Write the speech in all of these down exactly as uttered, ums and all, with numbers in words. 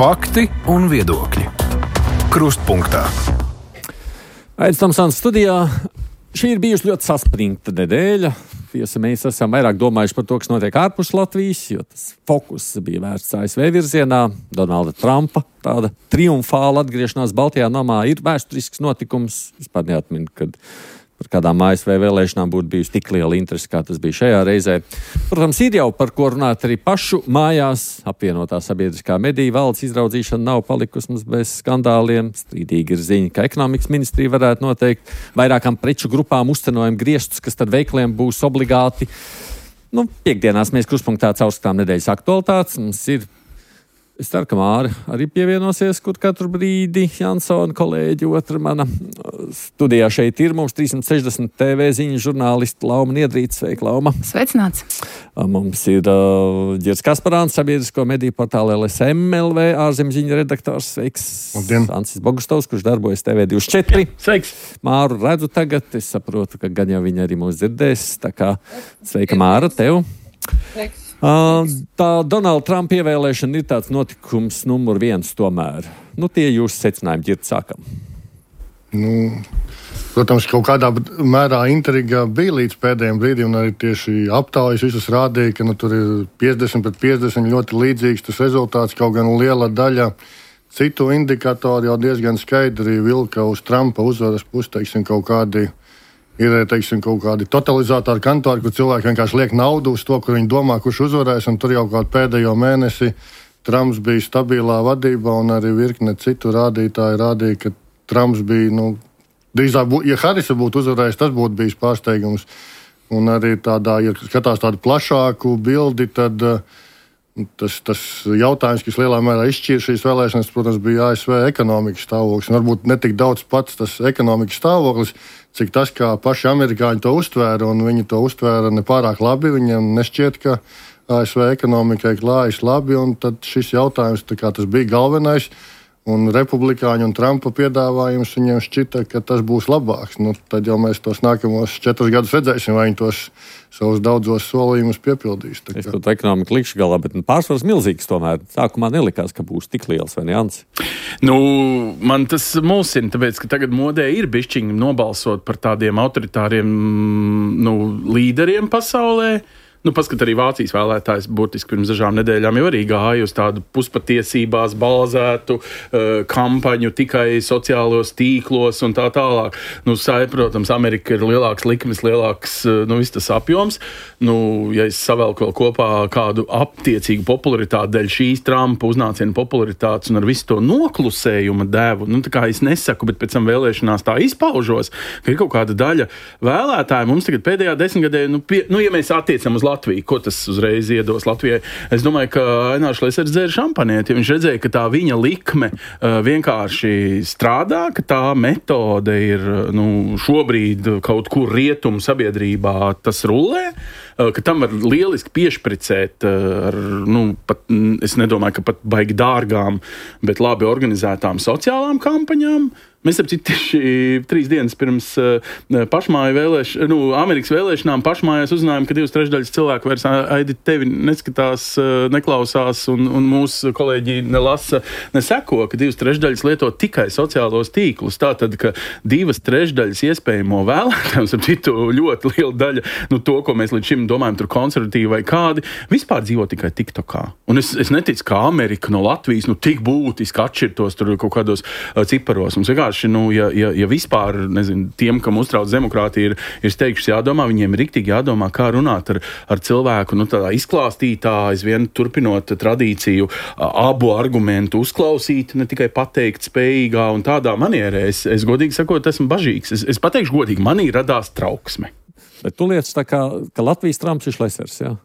Fakti un viedokļi. Krustpunktā. Aidis Tomsons studijā. Šī ir bijusi ļoti saspringta nedēļa. Tiesa, mēs esam vairāk domājuši par to, kas notiek ārpus Latvijas, jo tas fokus bija vērsts A S V virzienā. Donalda Trumpa tāda triumfāla atgriešanās Baltijā namā ir vēsturisks notikums. Vispār neatminu, kad par kādām A S V vēlēšanām būtu bijusi tik liela interese, kā tas bija šajā reizē. Protams, ir jau par ko runāt arī pašu mājās. Apvienotā sabiedriskā mediju valdes izraudzīšana nav palikusi mums bez skandāliem. Strīdīgi ir ziņa, ka ekonomikas ministrija varētu noteikt vairākām preču grupām uzcenojumu griestus, kas tad veikliem būs obligāti. Nu, piekdienās mēs Krustpunktā caurskatām nedēļas aktualitātes. Mums ir Es ceru, ka Māra arī pievienosies, kur katru brīdi Jansona kolēģi, otra mana studijā šeit ir. Mums trīsimt sešdesmit T V ziņu žurnālisti Lauma Niedrīte. Sveika, Lauma. Sveicināts. Mums ir uh, Ģirs Kasparāns, sabiedrisko mediju portāla L S M L V, ārzemziņu redaktors. Sveiks. Labdien. Ancis Bogustovs, kurš darbojas T V divdesmit četri. Sveiks. Māru redzu tagad. Es saprotu, ka gan jau viņa arī mūs dzirdēs. Tā kā sveika, Māra, tev. Sveiks. Uh, tā Donalda Trumpa ievēlēšana ir tāds notikums numur viens tomēr. Nu, tie jūsu secinājumi, Ģirt, sākam. Nu, protams, kaut kādā mērā intriga bija līdz pēdējiem brīdiem, un arī tieši aptaujas visas rādīja, ka nu, tur ir piecdesmit pret piecdesmit ļoti līdzīgs tas rezultāts, kaut gan liela daļa citu indikatoru jau diezgan skaidri vilka uz Trumpa uzvaras pusi, teiksim, kaut kādi Ir, teiksim, kaut kādi totalizātori kantori, kur cilvēki vienkārši liek naudu uz to, kur viņi domā, kurš uzvarēs, un tur jau kādu pēdējo mēnesi Trumps bija stabilā vadībā, un arī virkne citu rādītāji rādīja, ka Trumps bija, nu, drīzāk, ja Harisa būtu uzvarējis, tas būtu bijis pārsteigums. Un arī tādā, ja skatās tādu plašāku bildi, tad tas, tas jautājums, kas lielā mērā izšķīra šīs vēlēšanas, protams, bija A S V ekonomikas stāvoklis. Un varbūt ne tik daudz pats tas ekonomikas stāvoklis, cik tas, kā paši amerikāņi to uztvēra, un viņi to uztvēra nepārāk labi. Viņiem nešķiet, ka A S V ekonomikai klājas labi, un tad šis jautājums, tā kā tas bija galvenais, un republikāņu un Trumpa piedāvājums viņiem šķita, ka tas būs labāks. Nu, tad jau mēs tos nākamos četrus gadus redzēsim, vai viņi tos savus daudzos solījumus piepildīs. Es to ekonomiku likšu galā, bet nu, pārsvars milzīgs tomēr. Sākumā nelikās, ka būs tik liels, vai ne, Ants? Nu, man tas mulsina, tāpēc, ka tagad modē ir bišķiņi nobalsot par tādiem autoritāriem nu, līderiem pasaulē. Nu, paskat, arī Vācijas vēlētājs burtiski pirms dažām nedēļām jau arī gāja uz tādu puspatiesībās balzētu uh, kampaņu tikai sociālos tīklos un tā tālāk. Nu, sai, protams, Amerika ir lielāks likmes, lielāks, uh, nu, viss tas apjoms. Nu, ja es savelku vēl kopā kādu aptiecīgu popularitāti dēļ šīs Trumpa uznāciena popularitātes un ar visu to noklusējuma devu, nu, tā kā es nesaku, bet pēc tam vēlēšanās tā izpaužos, ka ir kaut kāda daļa vēlētāji mums tagad pēdējā desmitgadē, nu, pie, nu ja mēs attiecam uz Latviju, ko tas uzreiz iedos Latvijai. Es domāju, ka Ainārs Lesers dzēra šampanieti, ja viņš redzēja, ka tā viņa likme uh, vienkārši strādā, ka tā metode ir nu, šobrīd kaut kur rietumu sabiedrībā tas rullē, uh, ka tam var lieliski piešpricēt uh, ar, nu, pat, es nedomāju, ka pat baigi dārgām, bet labi organizētām sociālām kampaņām. Mēs ap citu tieši trīs dienas pirms uh, pašmāju vēlēšanām, nu, Amerikas vēlēšanām pašmājās uzzinājām, ka divas trešdaļas cilvēku vairs Aidi tevi neskatās, uh, neklausās un, un mūsu kolēģi nelasa, neseko, ka divas trešdaļas lieto tikai sociālos tīklus. Tātad, ka divas trešdaļas iespējamo vēlētājums, ap citu ļoti liela daļa, nu, to, ko mēs līdz šim domājam, tur konservatīvi vai kādi, vispār dzīvo tikai TikTokā. Un es, es neticu, ka Amerika no Latvijas, nu, tik būtiski atšķirtos tur kaut kādos uh, ciparos. Mums vienkārši Nu, ja, ja, ja vispār, nezinu, tiem, kam uztrauc demokrātija, ir, ir steigšs jādomā, viņiem ir riktīgi jādomā, kā runāt ar, ar cilvēku, nu, tādā izklāstītā, aizvien turpinot tradīciju, abu argumentu uzklausīt, ne tikai pateikt spējīgā un tādā manierē. Es, es godīgi sakot, esmu bažīgs. Es, es pateikšu godīgi, manī radās trauksme. Bet tu lietas tā kā, ka Latvijas Trumps ir Lesers, jā?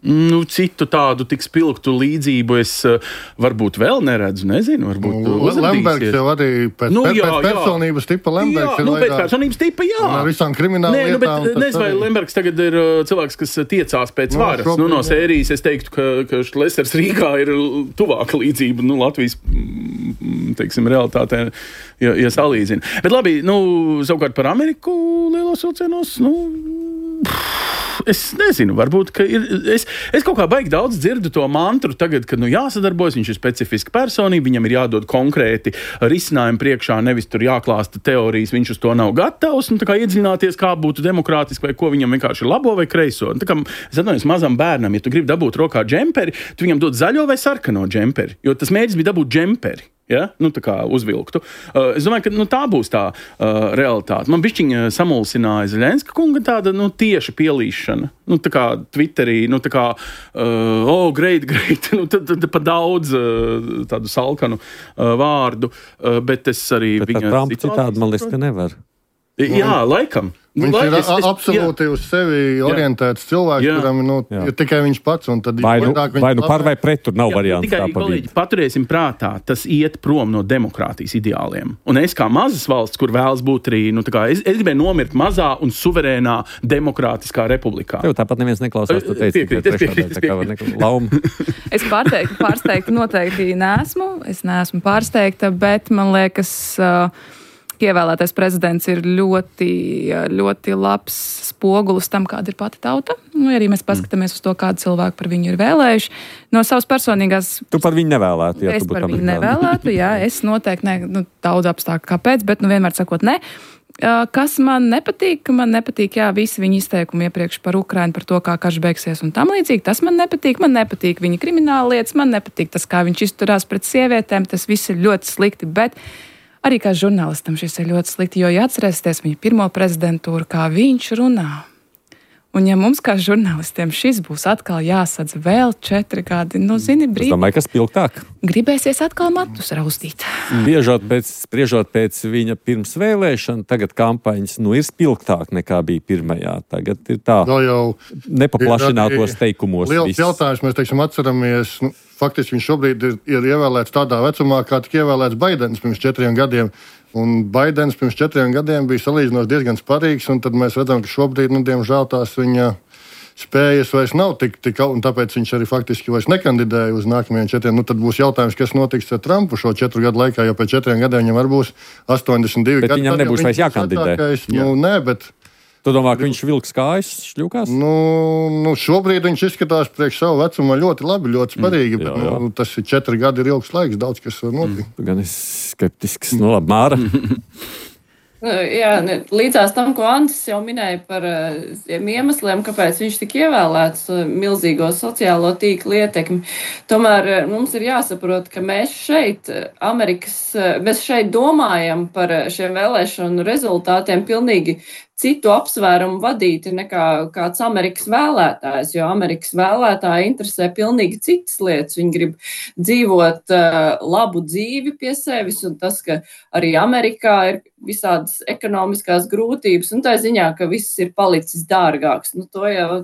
Nu, citu tādu tik spilgtu līdzību es uh, varbūt vēl neredzu, nezinu, varbūt nu, Lembergs jau arī pēc, nu, jā, pēc personības jā. tipa Lembergs jā, ir nu, vairāk. Pēc personības tipa, jā. Un ar visām krimināla Nē, lietām. Nu, bet nezinu, vai Lembergs tagad ir uh, cilvēks, kas tiecās pēc no, varas. Šobrīd, nu, no sērijas es teiktu, ka, ka Šlesers Rīgā ir tuvāka līdzība, nu, Latvijas, teiksim, realitātē, ja, ja salīdzina. Bet labi, nu, savukārt par Ameriku lielos vilcienos, nu... Es nezinu, varbūt, ka ir. Es, es kaut kā baigi daudz dzirdu to mantru tagad, kad nu, jāsadarbojas, viņš ir specifiska personība, viņam ir jādod konkrēti risinājumi priekšā, nevis tur jāklāsta teorijas, viņš uz to nav gatavs, un tā kā iedziļināties, kā būtu demokrātiski, vai ko viņam vienkārši ir labo vai kreiso. Un tā kā, es atvainojos mazam bērnam, ja tu gribi dabūt rokā džemperi, tu viņam dod zaļo vai sarkano džemperi, jo tas mērķis bija dabūt džemperi. Ja? Nu, tā kā uzvilktu. Uh, es domāju, ka nu, tā būs tā uh, realitāte. Man bišķiņa samulsināja Zeļenska kunga tāda nu, tieša pielīšana. Nu, tā kā Twitterī, nu, tā kā, uh, oh, great, great, nu, tad, tad pa daudz uh, tādu salkanu uh, vārdu, uh, bet es arī bet viņa... Trump citādi, man liekas, ka nevar. Jā, laikam. Viņš Lai, ir es, es, absolūti jā. uz sevi orientēts cilvēks, jā. kuram nu, ir tikai viņš pats. Tad, vai nu, vai nu par vai pret, tur nav jā, variants. Tikai, kolēģi, paturēsim prātā, tas iet prom no demokrātijas ideāliem. Un es kā mazas valsts, kur vēlas būt arī, nu, tā kā, es, es gribēju nomirt mazā un suverēnā demokrātiskā republikā. Tev tāpat neviens neklausās, tu teici, piekrīt, ka trešā daļa, tā kā lauma. Es pārsteigta, pārsteigta noteikti neesmu. Es neesmu pārsteigta, bet man liekas... Uh, Ievēlētais prezidents ir ļoti, ļoti labs spogulis tam, kāda ir pati tauta. Nu, arī mēs paskatāmies uz to, kādu cilvēku par viņu ir vēlējuši. No savas personīgās... Tu par viņu nevēlētu, ja es tu būtu par viņu nevēlētu, jā. Es noteikti, ne, nu, daudz apstākļu kāpēc, bet nu vienmēr sakot ne. Kas man nepatīk? Man nepatīk, jā, visi viņa izteikumi iepriekš par Ukrainu, par to, kā karš beigsies un tam līdzīgi. Tas man nepatīk. Man nepatīk viņa krimināla lietas, man nepatīk tas, kā viņš izturās pret sievietēm. Tas viss ir ļoti slikti, bet... Arī kā žurnālistam šis ir ļoti slikti, jo, ja atcerēsieties viņa pirmo prezidentūru, kā viņš runā. Un ja mums kā žurnālistiem šis būs atkal jāsadz vēl četri gadi, nu, zini, brīdi. Es domāju, kas pilgtāk. Gribēsies atkal matus raustīt. Spriežot pēc, spriežot pēc viņa pirms vēlēšana, tagad kampaņas, nu, ir spilgtāk nekā bija pirmajā. Tagad ir tā, jau nepaplašinātos teikumos. Liels viss. jautājums, mēs, teiksim, atceramies, nu, faktiski viņš šobrīd ir, ir ievēlēts tādā vecumā, kā tika ievēlēts Baidens pirms četriem gadiem. Un Baidens pirms četriem gadiem bija salīdzinoši diezgan sparīgs, un tad mēs redzam, ka šobrīd, nu, diemžēl tās viņa spējas vairs nav tik, tik, un tāpēc viņš arī faktiski vairs nekandidēja uz nākamajiem četriem. Nu, tad būs jautājums, kas notiks ar Trumpu šo četru gadu laikā, jo pēc četriem gadiem viņam var būs astoņdesmit divi bet gadi. Bet viņam nebūs vairs jākandidē. Nu, nē, bet... Tu domā, ka viņš vilks kājas, šļūkās? Nu, nu, šobrīd viņš izskatās priekš savu vecumu ļoti labi, ļoti sparīgi, mm, jā, bet jā. Nu, tas ir četri gadi ir ilgs laiks, daudz kas var notikt. Mm, gan es skeptisks, nu labi, Māra. Jā, līdzās tam, ko Andris jau minēja par tiem iemesliem, kāpēc viņš tika ievēlēts, milzīgo sociālo tīklu ietekmi. Tomēr mums ir jāsaprot, ka mēs šeit, Amerikas, mēs šeit domājam par šiem vēlēšanu rezultātiem pilnīgi citu apsvērumu vadīti nekā kāds Amerikas vēlētājs, jo Amerikas vēlētāji interesē pilnīgi citas lietas. Viņi grib dzīvot uh, labu dzīvi pie sevis, un tas, ka arī Amerikā ir visādas ekonomiskās grūtības, un tā ziņā, ka viss ir palicis dārgāks. Nu, to jau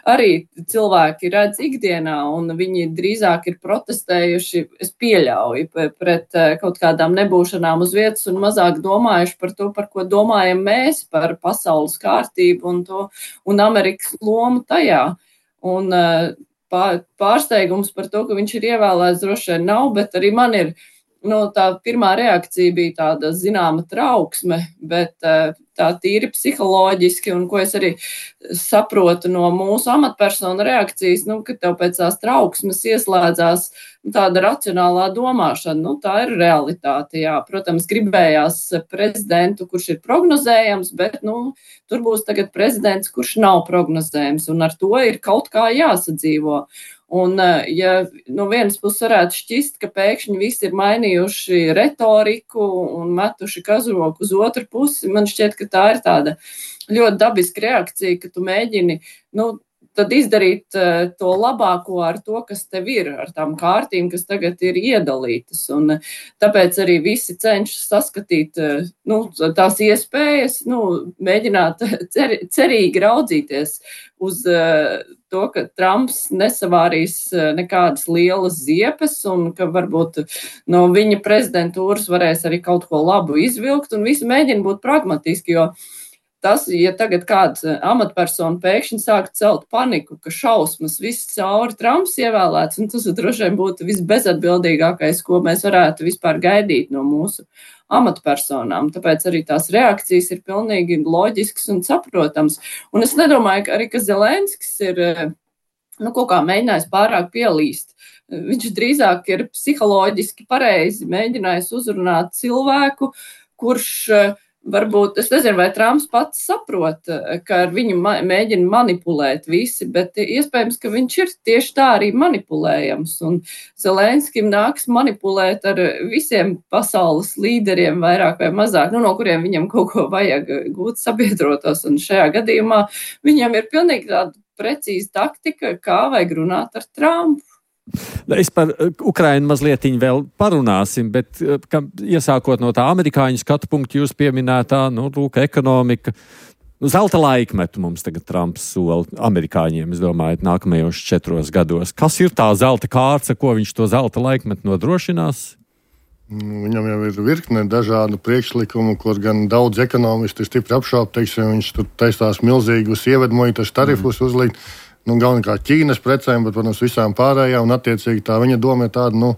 arī cilvēki redz ikdienā, un viņi drīzāk ir protestējuši, es pieļauju, pret uh, kaut kādām nebūšanām uz vietas, un mazāk domājuši par to, par ko domājam mēs, par pasaules pasaules kārtību un, to, un Amerikas lomu tajā. Un pār, pārsteigums par to, ka viņš ir ievēlēts, droši vien nav, bet arī man ir, nu, tā pirmā reakcija bija tāda zināma trauksme, bet tā tīri psiholoģiski, un ko es arī saprotu no mūsu amatpersonu reakcijas, nu, ka tev pēc tās trauksmes ieslēdzās tāda racionālā domāšana. Nu, tā ir realitāte, jā. Protams, gribējās prezidentu, kurš ir prognozējams, bet, nu, tur būs tagad prezidents, kurš nav prognozējams, un ar to ir kaut kā jāsadzīvo. Un, ja no vienas puses varētu šķist, ka pēkšņi visi ir mainījuši retoriku un metuši kazroku uz otru pusi, man šķiet, ka tā ir tāda ļoti dabiska reakcija, ka tu mēģini, nu, tad izdarīt uh, to labāko ar to, kas tev ir, ar tām kārtīm, kas tagad ir iedalītas. Un uh, tāpēc arī visi cenšas saskatīt uh, nu, tās iespējas, nu, mēģināt cer, cerīgi raudzīties uz uh, to, ka Trumps nesavārīs uh, nekādas lielas ziepes un ka varbūt no viņa prezidentūras varēs arī kaut ko labu izvilkt un visi mēģina būt pragmatiski, jo tas, ja tagad kāds amatpersona pēkšņi sāk celt paniku, ka šausmas viss cauri Trumps ievēlēts, un tas droši vien būtu visbezatbildīgākais, ko mēs varētu vispār gaidīt no mūsu amatpersonām. Tāpēc arī tās reakcijas ir pilnīgi loģiskas un saprotams. Un es nedomāju, ka arī, ka Zelenskis ir nu, kaut kā mēģinājis pārāk pielīst. Viņš drīzāk ir psiholoģiski pareizi mēģinājis uzrunāt cilvēku, kurš varbūt, es nezinu, vai Trumps pats saprot, ka ar viņu ma- mēģina manipulēt visi, bet iespējams, ka viņš ir tieši tā arī manipulējams. Un Zelenskim nāks manipulēt ar visiem pasaules līderiem vairāk vai mazāk, nu, no kuriem viņam kaut ko vajag gūt sabiedrotos. Un šajā gadījumā viņam ir pilnīgi tāda precīza taktika, kā vajag runāt ar Trumpu. Es par Ukrainu mazlietiņ vēl parunāsim, bet ka, iesākot no tā amerikāņu skatu punktu jūs pieminētā, nu, lūk, ekonomika. Nu, zelta laikmetu mums tagad Trumps sola amerikāņiem, es domāju, nākamajos četros gados. Kas ir tā zelta kārta, ko viņš to zelta laikmetu nodrošinās? Viņam jau ir virkne dažādu priekšlikumu, kur gan daudz ekonomisti stipri apšauba, teiksim, viņš tur taistās milzīgus ievedmuitas tarifus mm. uzlikt. Nu, galvenokārt Ķīnas precēm, bet, protams, visām pārējām, un attiecīgi tā viņa doma ir tāda, nu,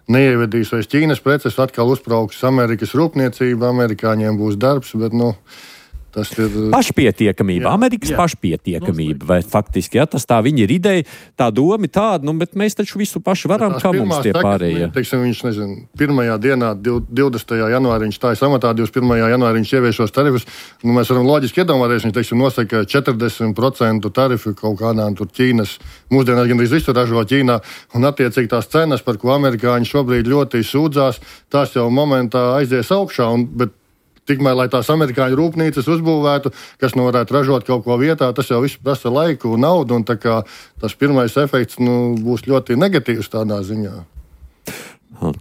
neievedīs vairs Ķīnas preces, atkal uzbrauks Amerikas rūpniecība, amerikāņiem būs darbs, bet, nu, tas ir... Pašpietiekamība, jā, Amerikas jā. pašpietiekamība, vai faktiski, ja, tas tā viņa ir ideja, tā doma tāda, nu, bet mēs taču visu paši varam, kā mums tie pārējie. Teiksim, viņš, nezinu, pirmajā dienā, divdesmitajā janvārī viņš stājas amatā, divdesmit pirmajā janvārī viņš ieviešos tarifus, nu, mēs varam loģiski iedomāties, viņš, teiksim, nosaka četrdesmit procentu tarifu kaut kādām tur Ķīnas, mūsdienās gan visu ražo Ķīnā, un attiecīgi tās cenas, par ko amerikāņi šobrīd ļoti sūdzās, tās jau momentā aizies augšā, un, bet tikmēr, lai tās amerikāņu rūpnīcas uzbūvētu, kas nu varētu ražot kaut ko vietā, tas jau viss prasa laiku un naudu, un tā kā tas pirmais efekts nu, būs ļoti negatīvs tādā ziņā.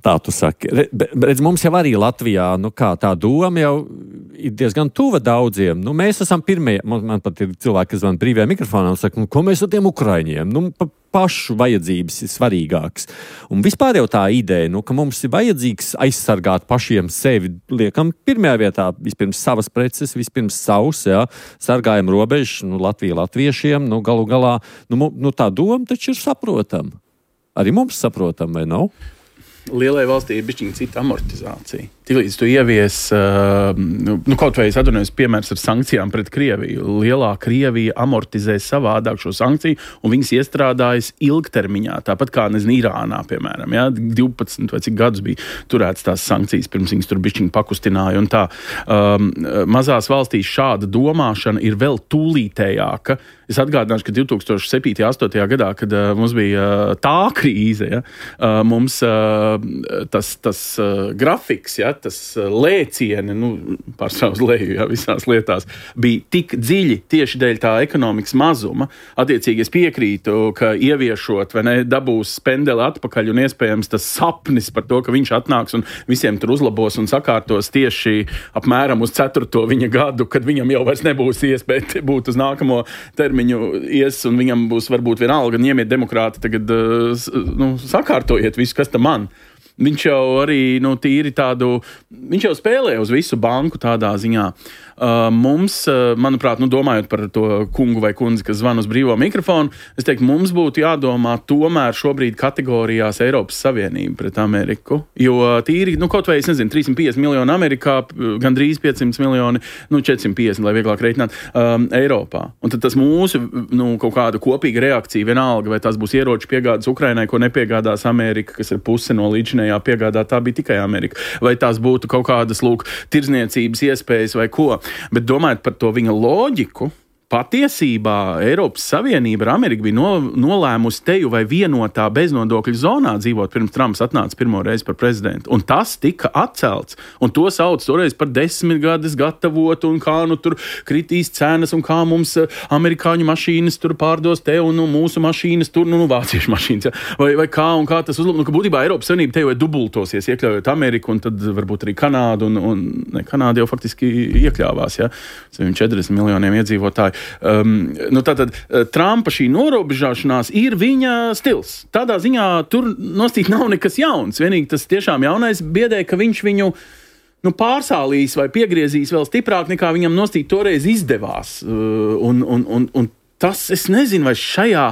Tā tu saki. Redz, mums jau arī Latvijā, nu kā tā doma jau ir diezgan tuva daudziem. Nu, mēs esam pirmie, man, man pat ir cilvēki, kas man brīvajā mikrofonā un saka, nu, ko mēs ar tiem Ukraiņiem? Nu, pa pašu vajadzības ir svarīgāks. Un vispār jau tā ideja, nu, ka mums ir vajadzīgs aizsargāt pašiem sevi, liekam pirmajā vietā, vispirms savas preces, vispirms savus, jā, sargājam robežu, nu, Latvija latviešiem, nu, galu galā, nu, nu tā doma taču ir saprotama. Arī mums saprotam, vai nav? Lielai valstī ir bišķiņa cita amortizācija. Tiklīdz tu ievies, uh, nu, kaut vai es atvainojos piemērs ar sankcijām pret Krieviju. Lielā Krievija amortizē savādāk šo sankciju, un viņas iestrādājas ilgtermiņā. Tāpat kā, nezinu, Irānā, piemēram, ja, divpadsmit vai cik gadus bija turēts tās sankcijas, pirms viņas tur bišķiņa pakustināja. Un tā, um, mazās valstīs šāda domāšana ir vēl tūlītējāka. Es atgādināšu, ka divi tūkstoši septītajā, astotajā gadā, kad uh, mums bija uh, tā krīze, ja, uh, mums uh, tas, tas uh, grafiks, ja, tas uh, lēcieni, nu, pārsvarā uz leju, ja, visās lietās, bija tik dziļi tieši dēļ tā ekonomikas mazuma. Attiecīgi es piekrītu, ka ieviešot, vai ne, dabūs spendeli atpakaļ un iespējams tas sapnis par to, ka viņš atnāks un visiem tur uzlabos un sakārtos tieši apmēram uz ceturto viņa gadu, kad viņam jau vairs nebūs iespēja būt uz nākamo termiņu ies, un viņam būs varbūt vienalga, ņemiet demokrāti, tagad nu, sakārtojiet visu, kas tam man. Viņš jau arī, nu, tīri tādu, viņš jau spēlē uz visu banku tādā ziņā. Uh, mums, uh, manuprāt, nu, domājot par to kungu vai kundzi, kas zvan uz brīvo mikrofonu, es teiktu, mums būtu jādomā tomēr šobrīd kategorijās Eiropas Savienība pret Ameriku, jo tīri, nu, kaut vai, es nezinu, trīssimt piecdesmit miljoni Amerikā, gandrīz piecsimt miljoni, nu, četrsimt piecdesmit, lai vieglāk reiķināt, um, Eiropā. Un tad tas mūsu, nu, kaut kāda kopīga reakcija vienalga, vai tas būs ieroču piegādes Ukrainai, ko nepiegādās Amerika, kas ir puse no līdzinējā piegādā, tā bija tikai Amerika. Vai tās būtu kaut kādas, lūk, tirzniecības iespējas vai ko. Bet domājot par to viņa loģiku, patiesībā Eiropas Savienība ar Ameriku bija no, nolēmusi teju vai vienotā beznodokļu zonā dzīvot pirms Trumps atnāca pirmo reizi par prezidentu. Un tas tika atcelts. Un to sauc toreiz par desmitgades gatavotu un kā nu tur kritīs cenas un kā mums amerikāņu mašīnas tur pārdos te un nu, mūsu mašīnas tur, nu, nu vāciešu mašīnas. Ja? Vai, vai kā un kā tas uzlab. Nu, ka būtībā Eiropas Savienība teju vai dubultosies, iekļaujot Ameriku un tad varbūt arī Kanādu. Un, un ne, Kanāda jau faktiski iekļāvās, ja? četrdesmit miljoniem iedzīvotāju. Um, nu tātad Trumpa šī norobežāšanās ir viņa stils. Tādā ziņā tur nostīt nav nekas jauns. Vienīgi tas tiešām jaunais biedē, ka viņš viņu nu, pārsālīs vai piegriezīs vēl stiprāk, nekā viņam nostīt toreiz izdevās. Uh, un, un, un, un tas, es nezinu, vai šajā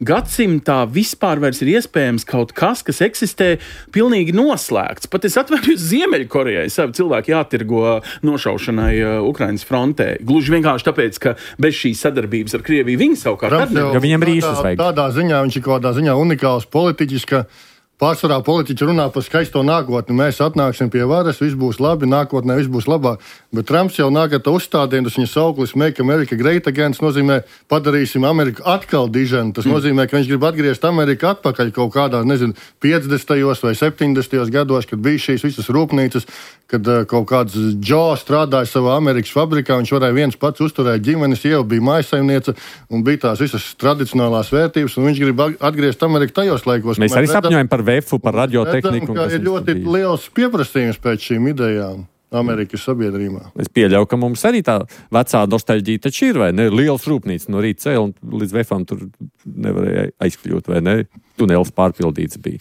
gadsimtā vispār vairs ir iespējams kaut kas, kas eksistē pilnīgi noslēgts. Pat es atvainojos Ziemeļkorejai, savu cilvēku jātirgo nošaušanai uh, Ukrainas frontē. Gluži vienkārši tāpēc, ka bez šīs sadarbības ar Krieviju viņi savukārt atnev. Jo viņam rīšas vajag. Tādā ziņā viņš ir kaut kādā ziņā unikāls politiķis, ka pārsvarā politiķi runā par skaisto nākotni. Mēs atnāksim pie varas, viss būs labi, nākotnē viss būs labāk. Bet Trumps jau nāk ar to uzstādījumu, tas viņa sauklis Make America Great Again, tas nozīmē padarīsim Ameriku atkal diženu. Tas mm. nozīmē, ka viņš grib atgriezt Ameriku atpakaļ kaut kādā, nezinu, piecdesmitajos vai septiņdesmitajos gados, kad bija šīs visas rūpnīcas, kad uh, kaut kāds Joe strādāja savā Amerikas fabrikā, viņš varēja viens pats uzturēt ģimenes, jau bija mājasaimniece un bija tās visas tradicionālās vērtības, un viņš grib atgriezt Ameriku tajos laikos. Mēs arī sapņojam par vefu, par radiotehniku. Redzam, ka ir ļoti liels pieprasījums pēc šīm idejām Amerikas sabiedrībā. Es pieļauju, ka mums arī tā vecā nostalģija taču ir, vai ne? Liels rūpnīca no rīta cēl, un līdz vefam tur nevarēja aizkļūt, vai ne? Tunels pārpildīts bija.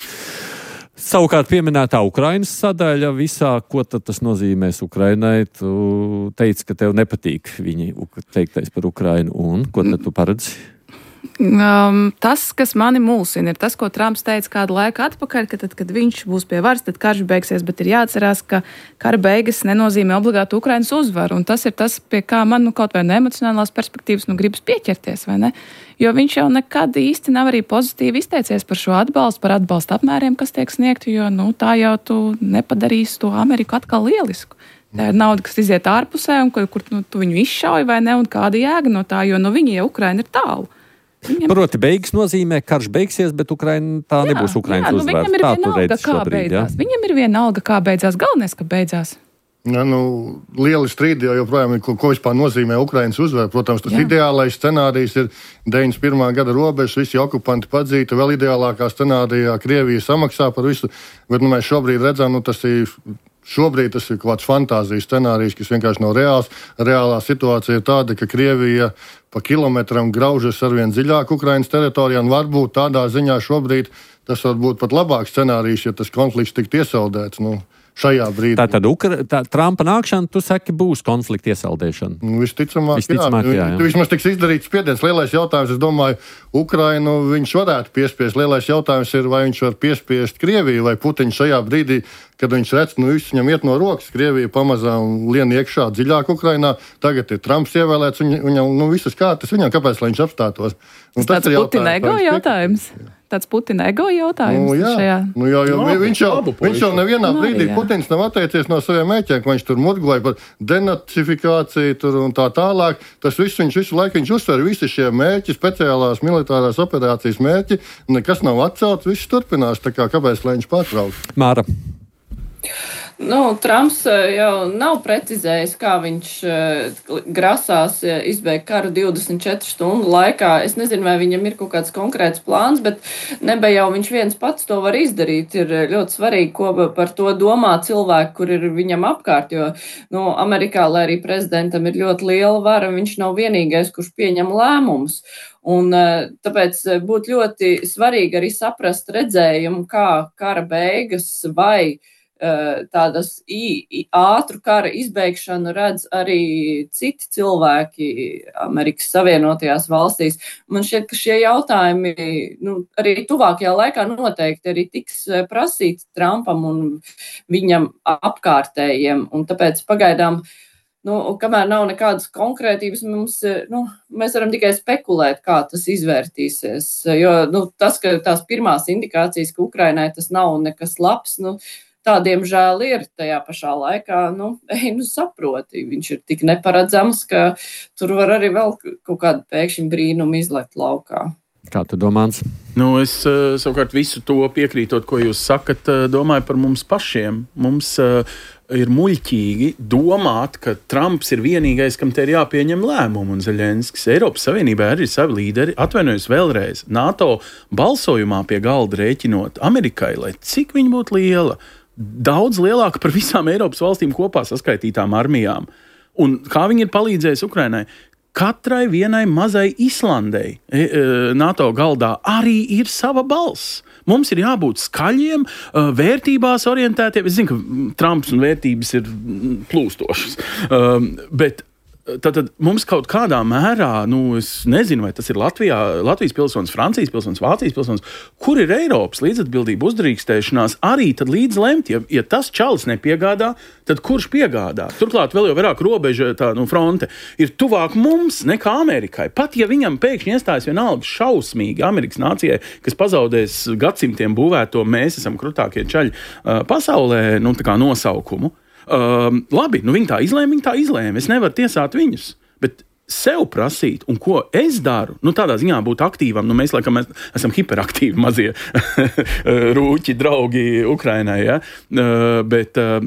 Savukārt pieminētā Ukrainas sadaļa visā, ko tad tas nozīmēs Ukrainai, tu teici, ka tev nepatīk viņi teiktais par Ukrainu, un ko tad tu paredzi? Um, tas, kas mani mulsina, ir tas, ko Trumps teica kādu laiku atpakaļ, ka tad, kad viņš būs pie varas, tad karš beigsies, bet ir jāatcerās, ka kara beigas nenozīmē obligāti Ukrainas uzvaru, un tas ir tas, pie kā man nu, kaut vai no emocionālās perspektīvas nu, gribas pieķerties, vai ne? Jo viņš jau nekad īsti nav arī pozitīvi izteicies par šo atbalstu, par atbalstu apmēriem, kas tiek sniegti, jo nu, tā jau tu nepadarīsi to Ameriku atkal lielisku. Tā ir nauda, kas iziet ārpusē, un kur, kur nu, tu viņu izšauj, vai ne, un kāda jēga no tā, jo no viņi jau Ukraina ir tālu. Viņam... Proti, beigas nozīmē, karš beigsies, bet Ukraina tā jā, nebūs Ukrainas jā, nu, uzvārds. Viņam ir vienalga, kā šobrīd, beidzās. Jā? Viņam ir vienalga, kā beidzās. Galvenais, ka beidzās. Ja, nu, lieli strīdi jau joprojām ir, ko, ko vispār nozīmē Ukrainas uzvara. Protams, tas jā. Ideālais scenārijs ir deviņdesmit pirmā gada robežas, visi okupanti padzīti, vēl ideālākā scenārijā Krievija samaksā par visu. Bet nu, mēs šobrīd redzam, nu, tas ir... Šobrīd tas ir kaut kāds fantāzijas scenārijs, kas vienkārši nav reāls. Reālā situācija ir tāda, ka Krievija pa kilometram graužas arvien dziļāk Ukrainas teritorijā, un varbūt tādā ziņā šobrīd tas var būt pat labāks scenārijs, ja tas konflikts tiktu iesaldēts. Nu, šajā brīdī. Tā tad Ukra... tā, Trumpa nākšana, tu saki, būs konflikta iesaldēšana? Nu, visticamāk, visticamāk, jā. jā, jā. Vismaz tiks izdarīts spiediens. Lielais jautājums, es domāju, Ukrainu viņš varētu piespiest. Lielais jautājums ir, vai viņš var piespiest Krieviju, vai Putiņš šajā brīdī, kad viņš redz, nu viss viņam iet no rokas, Krievija pamazām lien iekšā dziļāk Ukrainā, tagad ir Trumps ievēlēts, un viņam, nu visas kārtas viņam, kāpēc, lai viņš apstātos? Un tas tāds Putina ego jautājums. Tāds Putina ego jautājums. Nu, jā, šajā... nu, jā, jo, no, viņš, jau, viņš jau nevienā no, brīdī, jā. Putins nav atteicies no saviem mēķiem, ka viņš tur murgoja par denacifikāciju tur un tā tālāk. Tas viss viņš visu laiku viņš uzsver, visi šie mērķi, speciālās militārās operācijas mērķi, nekas nav atcelts, viss turpinās, tā kā kāpēc, lai viņš pārtrauc. Māra. Nu, Trumps jau nav precizējis, kā viņš grasās izbeigt karu divdesmit četru stundu laikā. Es nezinu, vai viņam ir kaut kāds konkrēts plāns, bet neba jau viņš viens pats to var izdarīt. Ir ļoti svarīgi, ko par to domā cilvēki, kur ir viņam apkārt, jo nu, Amerikā, lai arī prezidentam ir ļoti liela vara, viņš nav vienīgais, kurš pieņem lēmumus. Un tāpēc būtu ļoti svarīgi arī saprast redzējumu, kā kara beigas vai tādas ātru kara izbeigšanu redz arī citi cilvēki Amerikas Savienotajās valstīs. Man šķiet, ka šie jautājumi nu, arī tuvākajā laikā noteikti arī tiks prasīti Trumpam un viņam apkārtējiem. Un tāpēc pagaidām, nu, kamēr nav nekādas konkrētības, mums, nu, mēs varam tikai spekulēt, kā tas izvērtīsies. Jo nu, tas, ka tās pirmās indikācijas, ka Ukrainai tas nav nekas labs, nu, tā, diemžēl, ir tajā pašā laikā, nu, ej, nu, saproti, viņš ir tik neparedzams, ka tur var arī vēl kaut kādu pēkšņu brīnumu izlekt laukā. Kā tu domāns? Nu, es uh, savukārt visu to piekrītot, ko jūs sakat, uh, domāju par mums pašiem. Mums uh, ir muļķīgi domāt, ka Trumps ir vienīgais, kam te ir jāpieņem lēmumu, un Zeļenskis. Eiropas Savienībā arī ir savi līderi. Atvainojos vēlreiz. NATO balsojumā pie galda rēķinot Amerikai, lai cik viņa būtu liela, daudz lielāka par visām Eiropas valstīm kopā saskaitītām armijām. Un kā viņi ir palīdzējuši Ukrainai? Katrai vienai mazai Islandei NATO galdā arī ir sava balss. Mums ir jābūt skaļiem, vērtībās orientētiem. Es zinu, ka Trumps un vērtības ir plūstošas, bet Tātad mums kaut kādā mērā, nu, es nezinu, vai tas ir Latvijā, Latvijas pilsonis, Francijas pilsonis, Vācijas pilsonis, kur ir Eiropas līdzatbildība, uzdrīkstēšanās arī tad līdz lemt, ja, ja tas čalis nepiegādā, tad kurš piegādā? Turklāt vēl jau vairāk robeža, tā, nu, fronte ir tuvāk mums nekā Amerikai. Pat ja viņam pēkšņi iestājas vienalga šausmīgi Amerikas nācijai, kas pazaudēs gadsimtiem būvēto, mēs esam krutākie čaļi uh, pasaulē, nu, tā kā nosaukumu. Uh, labi, nu viņi tā izlēma, viņi tā izlēma. Es nevaru tiesāt viņus, bet sev prasīt, un ko es daru, nu tādā ziņā būt aktīvam, nu mēs laikam mēs esam hiperaktīvi mazie rūķi, draugi Ukrainai, ja? Uh, bet, uh,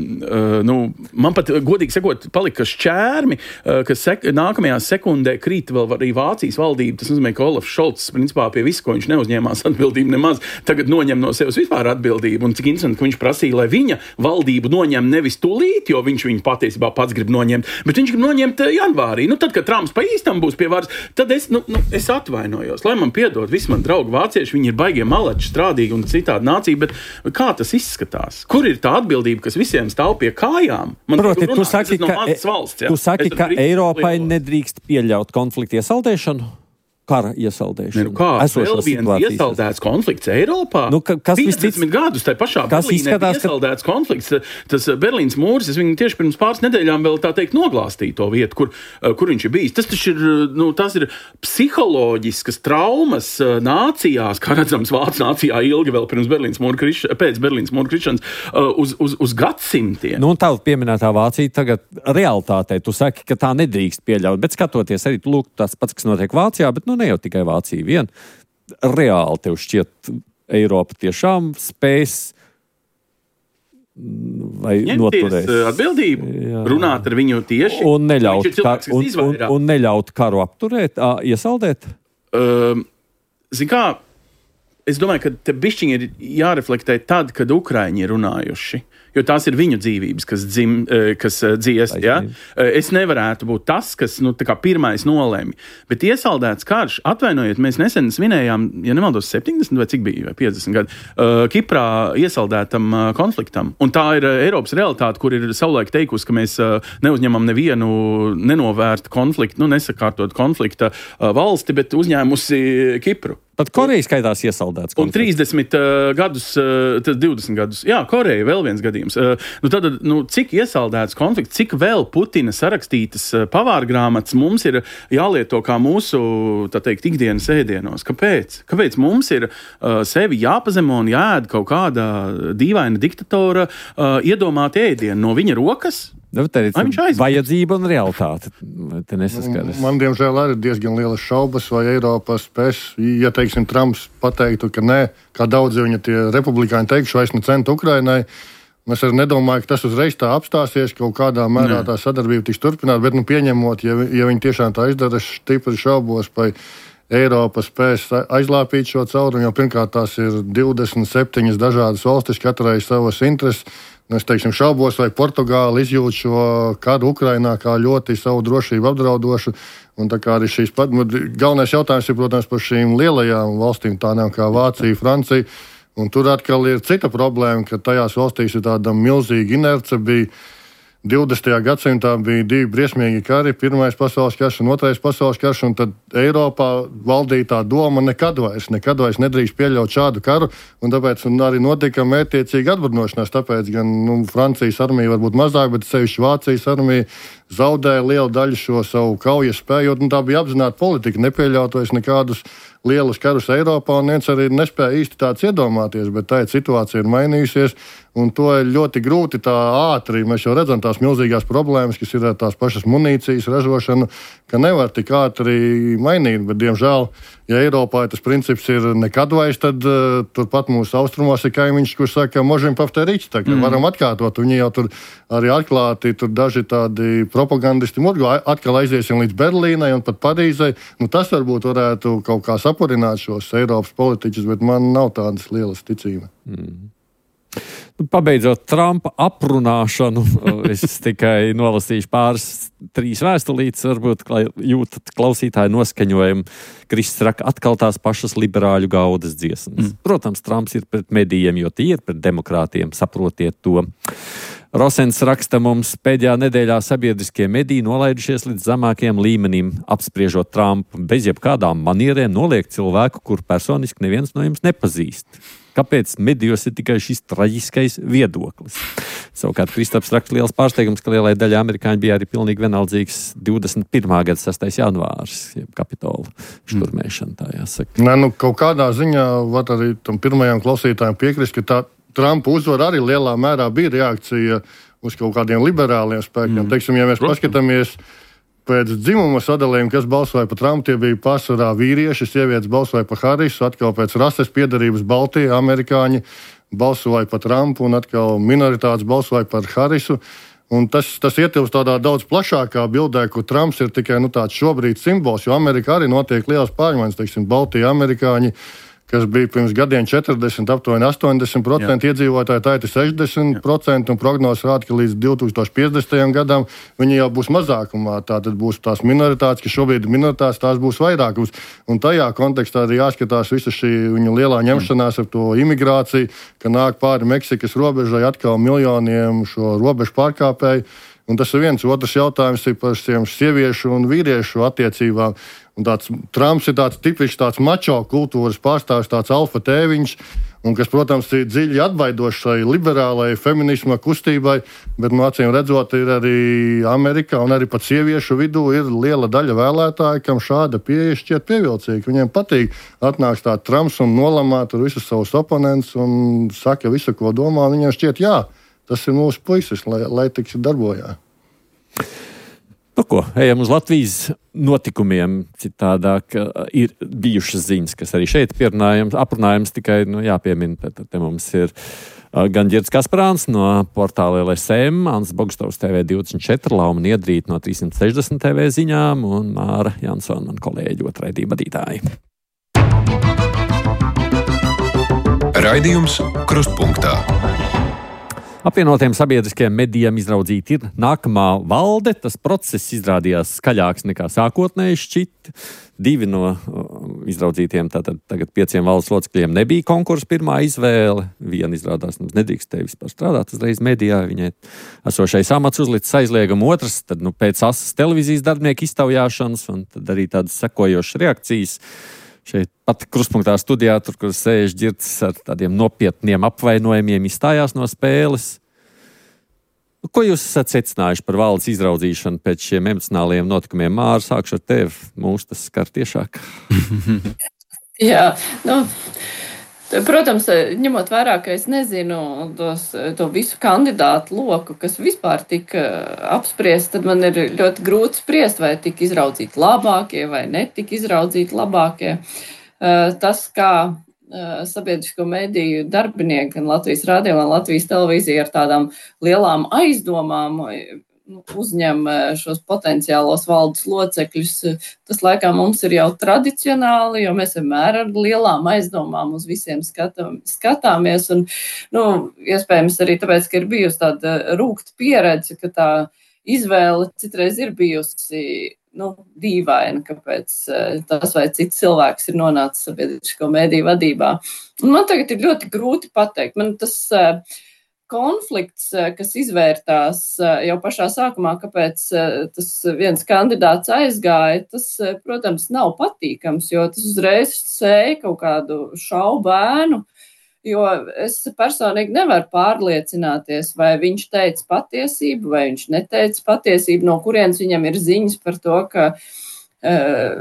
nu, man pat, godīgi sakot, palika šķērmi, uh, ka sek- nākamajā sekundē krīt vēl arī Vācijas valdība, tas nozīmē, ka Olafs Šolts, principā, pie visu, ko viņš neuzņēmās atbildību nemaz, tagad noņem no sevis vispār atbildību, un cik interesanti, ka viņš prasīja, lai viņa valdību noņem nevis tūlīt, jo viņš viņu patiesībā pats grib noņemt, bet viņš grib noņemt janvārī, nu tad, kad Trumps pa īstam būs pie varas, tad es, nu, nu, es atvainojos. Lai man piedod, visi man draugi vācieši, viņi ir baigie malači, strādīgi un citādi nācija, bet kā tas izskatās? Kur ir tā atbildība, kas visiem stāv pie kājām? Man Proti, tu runāt, saki, no ka, valsts, ja? tu saki ka Eiropai lielos. nedrīkst pieļaut konfliktu iesaldēšanu? Kara iesaldēšanu. Nu, kā vēl viens iesaldēts konflikts Eiropā? Nu, ka, kas piecdesmit gadus tai pašā Berlīnē bija iesaldēts ka... konflikts. Tas Berlīnas mūris, es viņu tieši pirms pāris nedēļām vēl tā teikt noglāstīju to vietu, kur, kur viņš ir bijis. Tas taču ir, nu, tas ir psiholoģiskas traumas nācijās, kā redzams Vācu nācijā ilgi vēl pirms Berlīnas mūra kriš... pēc Berlīnas mūra krišanas uz, uz, uz gadsimtiem. Nu, un tā pieminētā Vācija tagad realitātei, tu saki, ka tā nedrīkst pieļaut, bet skatoties arī, lūk, tas pats, kas notiek Vācijā, bet, nu, ne jau tikai Vācija vien. Reāli tev šķiet, Eiropa tiešām spēs vai noturēs atbildību, jā. Runāt ar viņu tieši un neļaut, cilvēks, kar, un, un, un neļaut karu apturēt, ā, iesaldēt? Uh, Zin kā, es domāju, ka te bišķiņi ir jāreflektē tad, kad Ukraiņi ir runājuši. Jo tās ir viņu dzīvības, kas, dzim, kas dziest. Ja? Es nevarētu būt tas, kas nu, tā kā pirmais nolēma. Bet iesaldēts karš, atvainojiet, mēs nesen svinējām, ja nemaldos, septiņdesmit vai cik bija, vai piecdesmit gadi, Kiprā iesaldētam konfliktam. Un tā ir Eiropas realitāte, kur ir savulaik teikusi, ka mēs neuzņemam nevienu nenovērtu konfliktu, nu, nesakārtot konflikta valsti, bet uzņēmusi Kipru. Pat Koreja skaitās iesaldēts konflikts. Un trīsdesmit uh, gadus, uh, tad divdesmit gadus. Jā, Koreja vēl viens gadījums. Uh, nu tad, nu, cik iesaldēts konflikts, cik vēl Putina sarakstītas uh, pavārgrāmatas mums ir jālieto kā mūsu, tā teikt, ikdienas ēdienos? Kāpēc? Kāpēc mums ir uh, sevi jāpazemo un jāēd kaut kāda dīvaina diktatora uh, iedomāta ēdiena no viņa rokas? Nu, tā ir vajadzība un realitāte. Te nesaskaras. Man, diemžēl, arī diezgan lielas šaubas, vai Eiropa spēs, ja, teiksim, Trumps pateiktu, ka nē, kā daudzi viņa tie republikāņi teikšu, vairs ne centa Ukrainai. Es arī nedomāju, ka tas uzreiz tā apstāsies, kaut kādā mērā tā sadarbība tiks turpināt, bet, nu, pieņemot, ja, ja viņi tiešām tā izdara, es stipri šaubos, vai Eiropa spēs aizlāpīt šo caurumu, jo pirmkārt tās ir divdesmit septiņas dažādas valstis, katrai savas intereses. Es teiksim, šaubos, vai Portugāla izjūt šo karu Ukrainā kā ļoti savu drošību apdraudošu. Un tā kā arī šīs pat, galvenais jautājums ir, protams, par šīm lielajām valstīm, tādām kā Vācija, Francija. Un tur atkal ir cita problēma, ka tajās valstīs ir tāda milzīga inerce. Bija divdesmitajā gadsimtā bija divi briesmīgi kari, pirmais pasaules karš un otrais pasaules karš, un tad Eiropā valdīja tā doma nekad vairs, nekad vairs nedrīkst pieļaut šādu karu, un tāpēc un arī notika mērķiecīga atbruņošanās, tāpēc gan nu, Francijas armija varbūt mazāk, bet sevišķi Vācijas armija zaudēja lielu daļu šo savu kaujas spēju, un tā bija apzināta politika, nepieļaut vairs nekādus lielus karus Eiropā, un viens arī nespēja īsti tāds iedomāties, bet tā situācija ir mainījusies, un to ir ļoti grūti tā ātri. Mēs jau redzam tās milzīgās problēmas, kas ir ar tās pašas munīcijas ražošanu, ka nevar tik ātri mainīt, bet, diemžēl, ja Eiropā tas princips ir nekad vairs, tad uh, turpat mūsu austrumos ir kaimiņš, kurš saka, možem pavtērīts, tā kā mm. varam atkārtot. Viņi jau tur arī atklāti, tur daži tādi propagandisti murgo, atkal aiziesim līdz Berlīnai un pat Parīzai. Nu, tas varbūt varētu kaut kā sapurināt šos Eiropas politiķus, bet man nav tādas lielas ticības. Mm. Pabeidzot Trumpa aprunāšanu, es tikai nolasīšu pāris, trīs vēstulītes, varbūt jūtat klausītāju noskaņojumu. Kristis raka atkal tās pašas liberāļu gaudas dziesmas. Mm. Protams, Trumps ir pret medijiem, jo tie ir pret demokrātiem, saprotiet to. Rosens raksta mums, pēdējā nedēļā sabiedriskie mediji nolaidušies līdz zemākiem līmenim, apspriežot Trumpu, bez jebkādām manierēm noliek cilvēku, kur personiski neviens no jums nepazīst. Kāpēc medijos ir tikai šis traģiskais viedoklis? Savukārt Kristaps raksta liels pārsteigums, ka lielai daļai amerikāņi bija arī pilnīgi vienaldzīgs divdesmit pirmā gada sastais janvārs, jeb Kapitola šturmēšana, tā jāsaka. Nē, nu, kaut kādā ziņā var arī tam pirmajam klausītājam piekrist, ka tā Trumpa uzvara arī lielā mērā bija reakcija uz kaut kādiem liberāliem spēkiem. Mm. Teiksim, ja mēs Protams. paskatāmies pēc dzimuma sadalījuma, kas balsoja par Trumpu, tie bija pārsvarā vīrieši, sievietes balsoja par Harisu, atkal pēc rases piedarības Baltie amerikāņi balsoja par Trumpu un atkal minoritātes balsoja par Harisu. Un tas, tas ietilpst tādā daudz plašākā bildē, kur Trumps ir tikai nu, tāds šobrīd simbols, jo Amerikā arī notiek liels pārmaiņas, teiksim, Baltie amerikāņi, kas bija pirms gadiem četrdesmit, aptuveni astoņdesmit procenti iedzīvotāji, tā ir sešdesmit procenti, un prognozes rāda, ka līdz divi tūkstoši piecdesmitajam gadam viņi jau būs mazākumā. Tātad būs tās minoritātes, kas šobrīd ir minoritātes, tās būs vairākums. Un tajā kontekstā arī jāskatās visa šī viņa lielā ņemšanās ar to imigrāciju, ka nāk pāri Meksikas robežai atkal miljoniem šo robežu pārkāpēju. Un tas ir viens. Otrs jautājums ir par šiem sieviešu un vīriešu attiecībām. Un tāds, Trumps ir tāds tipisks tāds mačo kultūras pārstāvis, tāds alfa tēviņš, un kas, protams, ir dziļi atbaidošs šai liberālai feminisma kustībai, bet, no acīm redzot, ir arī Amerikā un arī pat sieviešu vidū ir liela daļa vēlētāju, kam šāda pieeja šķiet pievilcīga. Viņiem patīk atnāks tā Trumps un nolamāt ar visus savus oponentus un saka visu, ko domā. Viņiem šķiet, jā, tas ir mūsu puisis, lai, lai tiks darbojā. Nu ko, ejam uz Latvijas notikumiem. Citādāk ir bijušas ziņas, kas arī šeit pierunājams, aprunājams, tikai nu, jāpiemina, te, te mums ir gan Ģirds Kasparāns no portāla L S M, Ants Bogstovs T V divdesmit četri, Lauma Niedrīta no trīsimt sešdesmit T V ziņām un Māra Jansona, man kolēģi, otraidība vadītāji. Raidījums Krustpunktā. Apvienotiem sabiedriskajiem medijiem izraudzīta ir nākamā valde. Tas process izrādījās skaļāks nekā sākotnēji šķita. Divi no uh, izraudzītiem, tātad tagad pieciem valdes locekļiem nebija konkursa pirmā izvēle. Viena izrādās, mums nedrīkstēja vispār strādāt uzreiz medijā. Viņai esošais amats uzlicis aizliegumu. Otrs, tad nu, pēc asas televīzijas darbinieku iztaujāšanas un tad arī tādas sekojošas reakcijas. Šeit pat Krustpunktā studijā, tur, kur sēž Ģirds ar tādiem nopietniem apvainojumiem, izstājās no spēles. Ko jūs esat secinājuši par valdes izraudzīšanu pēc šiem emocionāliem notikumiem? Māra, sākšu ar tevi. Mūs tas skar tiešāk. Jā, nu... Protams, ņemot vērā, ka es nezinu tos, to visu kandidātu loku, kas vispār tika apspriest, tad man ir ļoti grūti spriest, vai tika izraudzīti labākie vai netika izraudzīti labākie. Tas, kā sabiedrisko mediju darbinieki gan Latvijas radio, gan Latvijas televīzija ar tādām lielām aizdomām uzņem šos potenciālos valdes locekļus, tas laikam mums ir jau tradicionāli, jo mēs vienmēr ar lielām aizdomām uz visiem skatām, skatāmies. Un, nu, iespējams arī tāpēc, ka ir bijusi tāda rūgta pieredze, ka tā izvēle citreiz ir bijusi nu, dīvaina, kāpēc tas vai cits cilvēks ir nonācis sabiedrisko mediju vadībā. Un man tagad ir ļoti grūti pateikt. Man tas konflikts, kas izvērtās jau pašā sākumā, kāpēc tas viens kandidāts aizgāja, tas, protams, nav patīkams, jo tas uzreiz sēja kaut kādu šaubu ēnu, jo es personīgi nevaru pārliecināties, vai viņš teica patiesību, vai viņš neteica patiesību, no kurienes viņam ir ziņas par to, ka uh,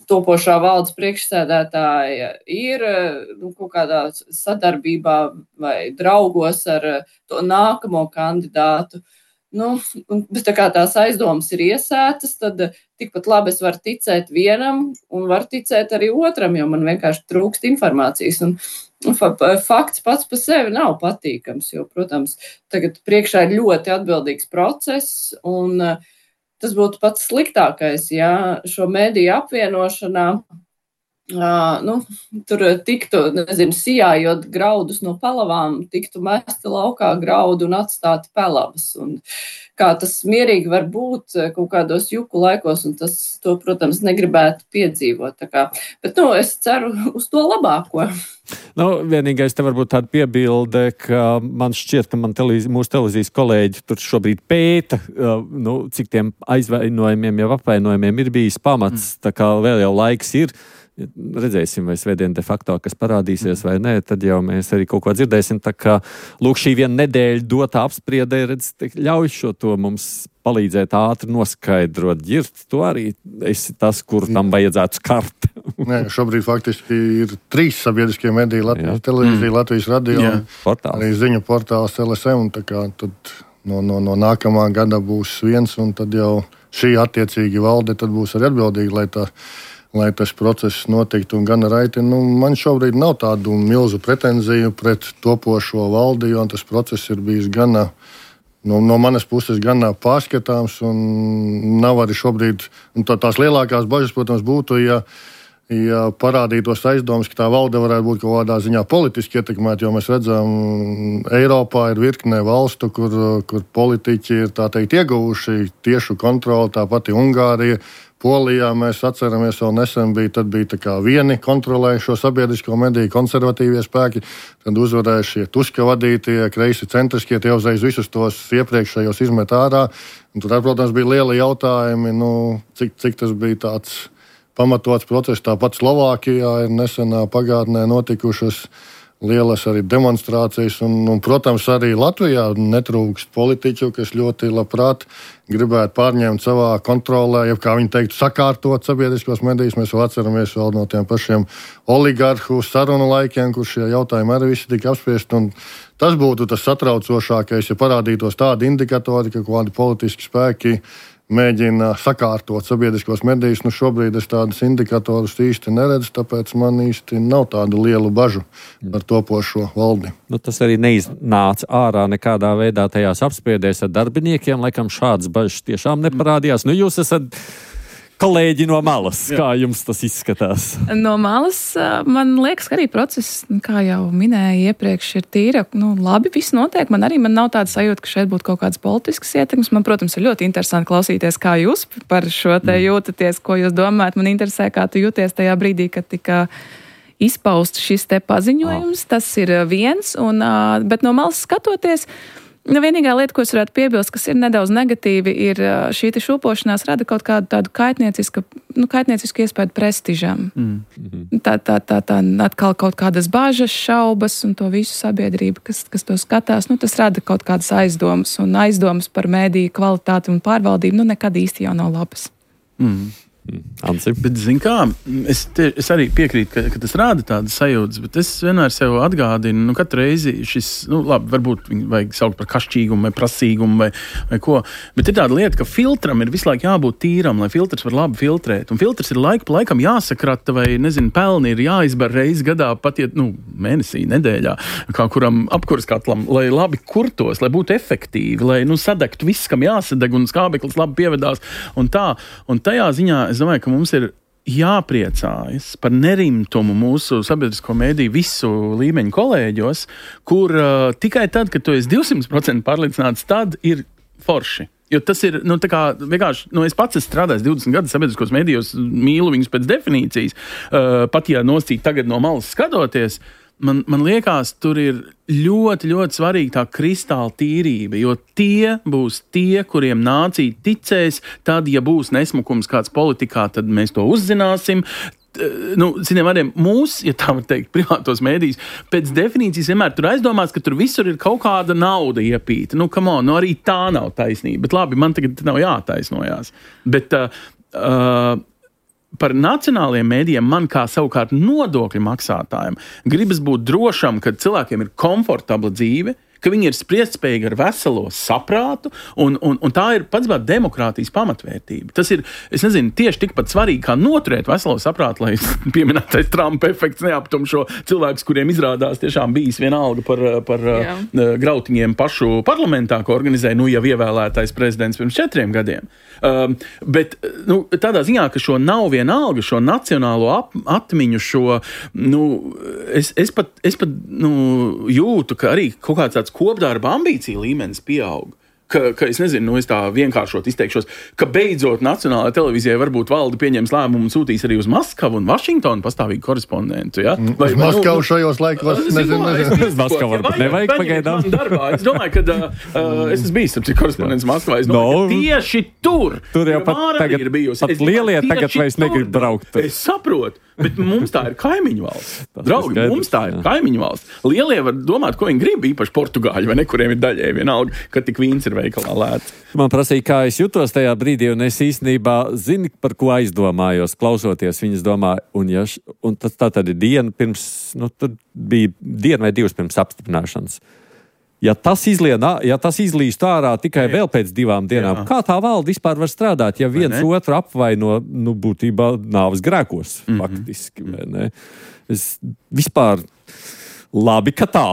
topošā valdes priekšsēdētāja ir nu, kaut kādā sadarbībā vai draugos ar to nākamo kandidātu. Nu, bet tā kā tās aizdomas ir iesētas, tad tikpat labi es varu ticēt vienam un varu ticēt arī otram, jo man vienkārši trūkst informācijas. Un, un fakts pats par sevi nav patīkams, jo, protams, tagad priekšā ir ļoti atbildīgs process, un tas būtu pats sliktākais, ja šo mediju apvienošanā Uh, nu, tur tiktu, nezinu, sijājot graudus no pelavām, tiktu mesti laukā graudu un atstāti pelavas. Un kā tas mierīgi var būt kaut kādos juku laikos, un tas, to, protams, negribētu piedzīvot. Tā kā. Bet, nu, es ceru uz to labāko. Nu, vienīgais te varbūt tāda piebilde, ka man šķiet, ka man televīz, mūsu televīzijas kolēģi tur šobrīd pēta, uh, nu, cik tiem aizvainojumiem, jau apvainojumiem ir bijis pamats, mm. tā kā vēl jau laiks ir. Redzēsim, vai svētdien de facto, kas parādīsies vai nē, tad jau mēs arī kaut ko dzirdēsim. Tā kā, lūk, šī viena nedēļa dotā apspriedē, redz, ļauj šo to mums palīdzēt ātri noskaidrot. Ģirt, tu arī esi tas, kur tam vajadzētu skart. Nē, šobrīd faktiski ir trīs sabiedriskie mediji, Latvijas Jā. televīzija, mm. Latvijas radio, arī ziņu portāls L S M, un tā kā tad no, no, no nākamā gada būs viens, un tad jau šī attiecīgi valde tad būs arī atbildīga, lai tā lai tas process notiktu un gan raiti. Nu, man šobrīd nav tādu milzu pretenziju pret topošo valdi, jo tas process ir bijis gana, no, no manas puses gan pārskatāms un nav arī šobrīd, un tā, tās lielākās bažas, protams, būtu, ja, ja parādītos aizdomas, ka tā valde varētu būt kaut kādā ziņā politiski ietekmēta, jo mēs redzam, Eiropā ir virknē valstu, kur, kur politiķi ir, tā teikt, ieguvuši tiešu kontroli, tāpat Ungārija, Polijā mēs atceramies, vēl nesen bija, tad bija tā kā vieni kontrolējušo sabiedrisko mediju konservatīvie spēki, tad uzvarēja šie Tuska vadītie, kreisi centriskie, tie uzreiz visus tos iepriekšējos izmet ārā. Un tur, protams, bija lieli jautājumi, nu, cik, cik tas bija tāds pamatots process. Tāpat Slovākijā ir nesenā pagātnē notikušas lielas arī demonstrācijas, un, un, protams, arī Latvijā netrūkst politiķu, kas ļoti labprāt gribētu pārņemt savā kontrolē, ja, kā viņi teiktu, sakārtot sabiedriskos medijus. Mēs vēl atceramies vēl no tiem pašiem oligarhu sarunu laikiem, kur šie jautājumi arī visi tika apspriesti, un tas būtu tas satraucošākais, ja parādītos tādi indikatori, ka kādi politiski spēki mēģina sakārtot sabiedriskos medijus. Nu, šobrīd es tādus indikatorus īsti neredzu, tāpēc man īsti nav tādu lielu bažu par topošo valdi. Nu, tas arī neiznāca ārā nekādā veidā tajās apspriedēs ar darbiniekiem. Laikam šādas bažas tiešām neparādījās. Nu, jūs esat kolēģi no malas. Kā jums tas izskatās? No malas man liekas, ka arī process, kā jau minēju iepriekš, ir tīra. Nu, labi, viss notiek. Man arī man nav tāda sajūta, ka šeit būtu kaut kādas politiskas ietekmes. Man, protams, ir ļoti interesanti klausīties, kā jūs par šo te jūtaties, ko jūs domājat. Man interesē, kā tu jūties tajā brīdī, kad tika izpaust šis te paziņojums. Tas ir viens, un, bet no malas skatoties, nu, vienīgā lieta, ko es varētu piebilst, kas ir nedaudz negatīvi, ir šī šūpošanās rada kaut kādu tādu kaitniecisku, nu, kaitniecisku iespēju prestižam. Mm. Tā, tā, tā, tā atkal kaut kādas bāžas, šaubas un to visu sabiedrību, kas, kas to skatās, nu, tas rada kaut kādas aizdomas, un aizdomas par mēdīju kvalitāti un pārvaldību, nu, nekad īsti jau nav labas. Mm. Ansi. Bet, zin kā, es, te, es arī piekrītu, ka, ka tas rāda tādas sajūtas, bet es vienmēr sev atgādinu, nu, katru reizi šis, nu, labi, varbūt viņu vajag saukt par kašķīgumu vai prasīgumu vai, vai ko, bet ir tāda lieta, ka filtram ir visu laiku jābūt tīram, lai filtrs var labi filtrēt, un filtrs ir laiku pa laikam jāsakrata vai, nezinu, pelni ir jāizbar reizi gadā, pat, ja, nu, mēnesī, nedēļā, kā kuram apkurs katlam, lai labi kurtos, lai būtu efektīvi, lai, nu, sadegtu viss, kam jāsadeg, un skābeklis labi pievedās, un tā, un tajā ziņā es domāju, ka mums ir jāpriecājas par nerimtumu mūsu sabiedrisko mediju visu līmeņu kolēģos, kur uh, tikai tad, kad tu esi divsimt procenti pārliecināts, tad ir forši. Jo tas ir, nu, tā kā, vienkārši, nu, es pats esmu strādājis divdesmit gadus sabiedriskos medijos, mīlu viņus pēc definīcijas, uh, pat ja noscīt tagad no malas skatoties, Man, man liekas, tur ir ļoti, ļoti svarīga tā kristāla tīrība, jo tie būs tie, kuriem nācija ticēs, tad, ja būs nesmukums kāds politikā, tad mēs to uzzināsim. Nu, zinām, arī mūs, ja tā var teikt, privātos mēdījus, pēc definīcijas vienmēr tur aizdomās, ka tur visur ir kaut kāda nauda iepīta. Nu, come on, nu arī tā nav taisnība, bet labi, man tagad nav jātaisnojās. Bet, uh, uh, par nacionālajiem mēdījiem man kā savukārt nodokļu maksātājiem gribas būt drošam, ka cilvēkiem ir komfortabla dzīve, ka viņi ir spriestspējīgi ar veselo saprātu, un, un, un tā ir pats bāt demokrātijas pamatvērtība. Tas ir, es nezinu, tieši tikpat svarīgi, kā noturēt veselo saprātu, lai pieminētais Trumpa efekts neaptum šo cilvēkus, kuriem izrādās tiešām bijis vienalga par, par uh, grautiņiem pašu parlamentā, ko organizēja nu jau ievēlētais prezidents pirms četriem gadiem. Um, bet nu, tādā ziņā, ka šo nav vienalga, šo nacionālo ap, atmiņu, šo, nu, es, es pat, es pat nu, jūtu, ka arī kaut kāds tāds kopdarba ambīcija līmenis pieaug. Ka, ka es nezinu, nu es tā vienkāršot izteikšos, ka beidzot nacionālajai televīzijai varbūt valde pieņems lēmumu un sūtīs arī uz Maskavu un Vašingtonu pastāvīgu korespondentu, ja? Vai, uz Maskavu nu, šajos laikos, nezinu, nezinu. Uz Maskavu varbūt nevajag pagaidām. Darbā. Es domāju, ka uh, es esmu bijis ar korespondents Maskavā. Es domāju, no, ka tieši tur tur jau pat tagad, ir bijusi. Pat lielie tagad vairs negrib braukt. Tur. Es saprotu. Bet mums tā ir kaimiņu valsts. Draugi, skaidrs, mums tā ir jā. kaimiņu valsts. Lielie var domāt, ko viņi grib, īpaši portugāļi, vai ne, kuriem ir daļēji vienalga, ka tik vīns ir veikalā lēts. Man prasīja, kā es jutos tajā brīdī, un es īstenībā zinu, par ko aizdomājos, klausoties viņas domā, un, ja, un tas tā tad ir diena pirms, nu, tur bija diena vai divas pirms apstiprināšanas. Ja tas, izlien, ja tas izlīst ārā tikai jā. vēl pēc divām dienām, jā. kā tā valde vispār var strādāt, ja viens otru apvaino, nu, būtībā nāves grēkos, mm-hmm. faktiski, vai ne? Es vispār labi, ka tā.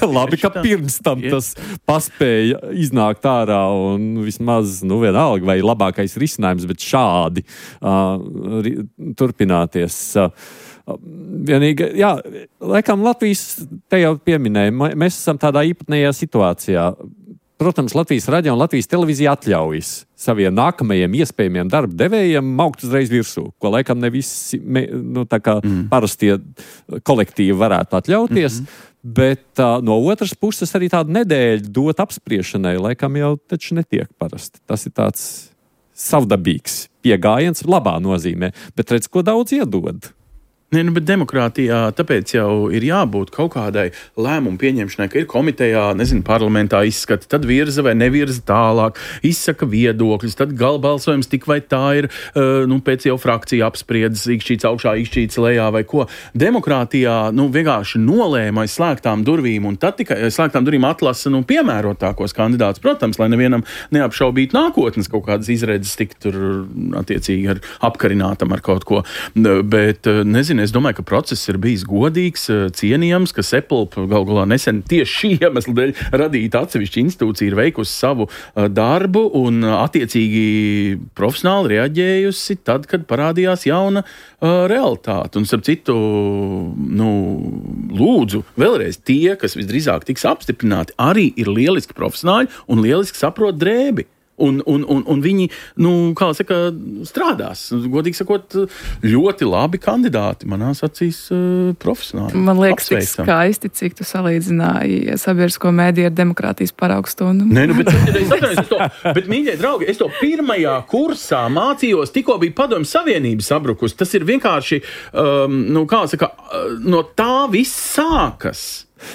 labi, ka pirms tam tas paspēja iznākt ārā un vismaz, nu, vienalga, vai labākais risinājums, bet šādi uh, ri, turpināties. Uh, Vienīgi, jā, laikam Latvijas, te jau pieminēja, mēs esam tādā īpatnējā situācijā. Protams, Latvijas radio un Latvijas televīzija atļaujas saviem nākamajiem iespējamiem darba devējiem maukt uzreiz virsū, ko laikam ne visi, nu, tā kā mm. parastie kolektīvi varētu atļauties, mm-hmm. bet uh, no otras puses arī tādu nedēļu dot apspriešanai, laikam jau taču netiek parasti. Tas ir tāds savdabīgs piegājiens labā nozīmē, bet redz, ko daudz iedod. Nē, nu, bet demokrātijā tāpēc jau ir jābūt kaut kādai lēmumu pieņemšanai, ka ir komitejā, nezinu, parlamentā izskata, tad virza vai nevirza tālāk, izsaka viedokļus, tad galbalsojums tik vai tā ir, uh, nu, pēc jau frakcija apspriedzes, ikšķīts augšā, ikšķīts lejā vai ko. Demokrātijā, nu, vienkārši nolēma aiz slēgtām durvīm, un tad tikai aiz slēgtām durvīm atlasa, nu, piemērotākos kandidātus, protams, lai nevienam neapšaubīt nākotnes kaut kādas izredzes tik tur attiecīgi ar apkarinātam ar kaut ko, bet, nezinu, es domāju, ka process ir bijis godīgs, cienījams, ka Sepulp gal galā nesen tieši šī iemesla dēļ radīta atsevišķa institūcija ir veikusi savu darbu un attiecīgi profesionāli reaģējusi tad, kad parādījās jauna uh, realitāte. Un, starp citu, nu, lūdzu, vēlreiz tie, kas visdrīzāk tiks apstiprināti, arī ir lieliski profesionāļi un lieliski saprot drēbi. Un, un, un, un viņi, nu, kā saka, strādās. Godīgi sakot, ļoti labi kandidāti manās acīs uh, profesionāli. Man liekas, tik skaisti, cik tu salīdzināji sabiedrisko mēdīju ar demokrātijas paraugstundu. Nē, nu, bet, es atceros, es to, bet, mīļie draugi, es to pirmajā kursā mācījos, tikko bija Padomju Savienība sabrukus. Tas ir vienkārši, um, nu, kā saka, no tā viss sākas.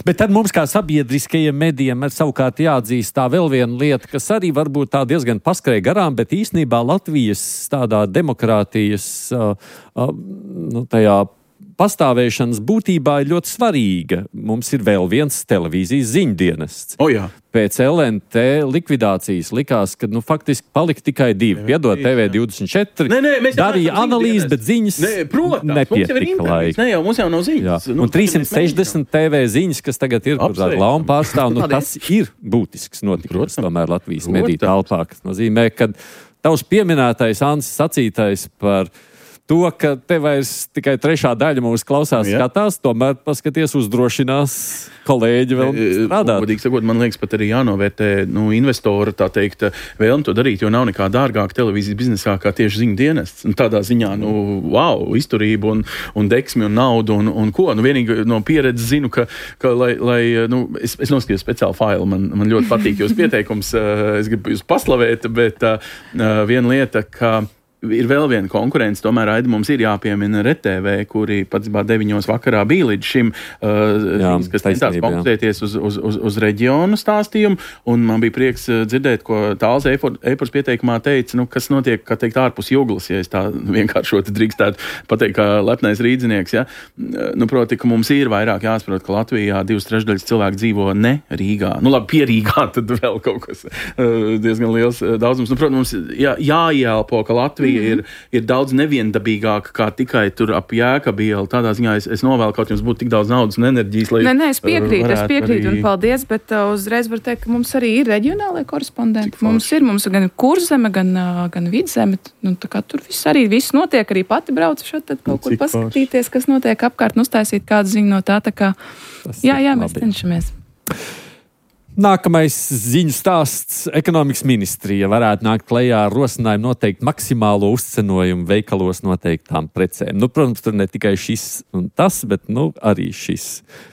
Bet tad mums kā sabiedriskajiem medijiem ir savukārt jāatzīst tā vēl viena lieta, kas arī varbūt tā diezgan paskrēja garām, bet īstenībā Latvijas tādā demokrātijas uh, uh, nu, tajā pastāvēšanas būtībā ir ļoti svarīga. Mums ir vēl viens televīzijas ziņdienests. O, jā. Pēc L N T likvidācijas likās, ka nu, faktiski palika tikai divi. Piedod, T V divdesmit četri nē, nē, darīja analīzes, bet ziņas nē, protams, nepietika laika. Nē, jau mums jau nav ziņas. Nu, un trīssimt sešdesmit T V ziņas, kas tagad ir par tādu launu pārstāvu, nu, tas ir būtisks notikums tomēr Latvijas mediju telpā. Tas nozīmē, ka tavs pieminētais Ansis sacītais par to, ka te vairs tikai trešā daļa mūs klausās, jā. Skatās, tomēr paskaties uzdrošinās kolēģi vēl strādāt. Godīgi sakot, man liekas, pat arī jānovērtē nu, investora, tā teikt, vēlmi to darīt, jo nav nekā dārgāk televīzijas biznesā kā tieši ziņu dienests. Un tādā ziņā, nu, wow, izturību un, un deksmi un naudu un, un ko. Nu, vienīgi no pieredzes zinu, ka, ka lai, lai nu, es, es noskatījos speciālu failu, man, man ļoti patīk jūs pieteikums, es gribu jūs paslavēt, bet uh, viena lieta, ka ir vēl viena konkurence, tomēr Aida mums ir jāpiemina R T V, kuri pats deviņos vakarā bija līdz šim, uh, jā, viņas, kas centās koncentrēties uz, uz, uz, uz reģionu stāstījumu, un man bija prieks dzirdēt, ko Tāls Eipurs pieteikumā teica, nu, kas notiek, kā teikt, ārpus juglas, ja es tā vienkāršoti drīkstētu pateikt, kā lepnais rīdzinieks, ja. Nu, proti, ka mums ir vairāk jāsaprot, ka Latvijā divas trešdaļas cilvēku dzīvo ne Rīgā. Nu, labi, pie Rīgā tad vēl kaut kas uh, diezgan liels uh, daudzums. Nu, protams, mums jā, jāielpo, ka Latvija Ir, ir daudz neviendabīgāka kā tikai tur ap Jēkabielu. Tādā ziņā es, es novēlu, kaut jums būtu tik daudz naudas un enerģijas, lai... Nē, nē, es piekrītu, es piekrītu arī... un paldies, bet uh, uzreiz var teikt, ka mums arī ir reģionālai korespondenti. Mums ir, mums ir gan Kurzeme, gan, uh, gan Vidzeme. Nu, tā kā tur viss arī viss notiek, arī pati braucu šeit, tad kaut kur paskatīties, kas notiek apkārt, un uztaisīt kādu ziņu no tā, tā kā... Tas jā, jā, mēs cenšamies. Nākamais ziņu stāsts. Ekonomikas ministrija varētu nākt klajā ar rosinājumu noteikt maksimālo uzcenojumu veikalos noteiktām precēm. Nu, protams, tur ne tikai šis un tas, bet nu, arī šis.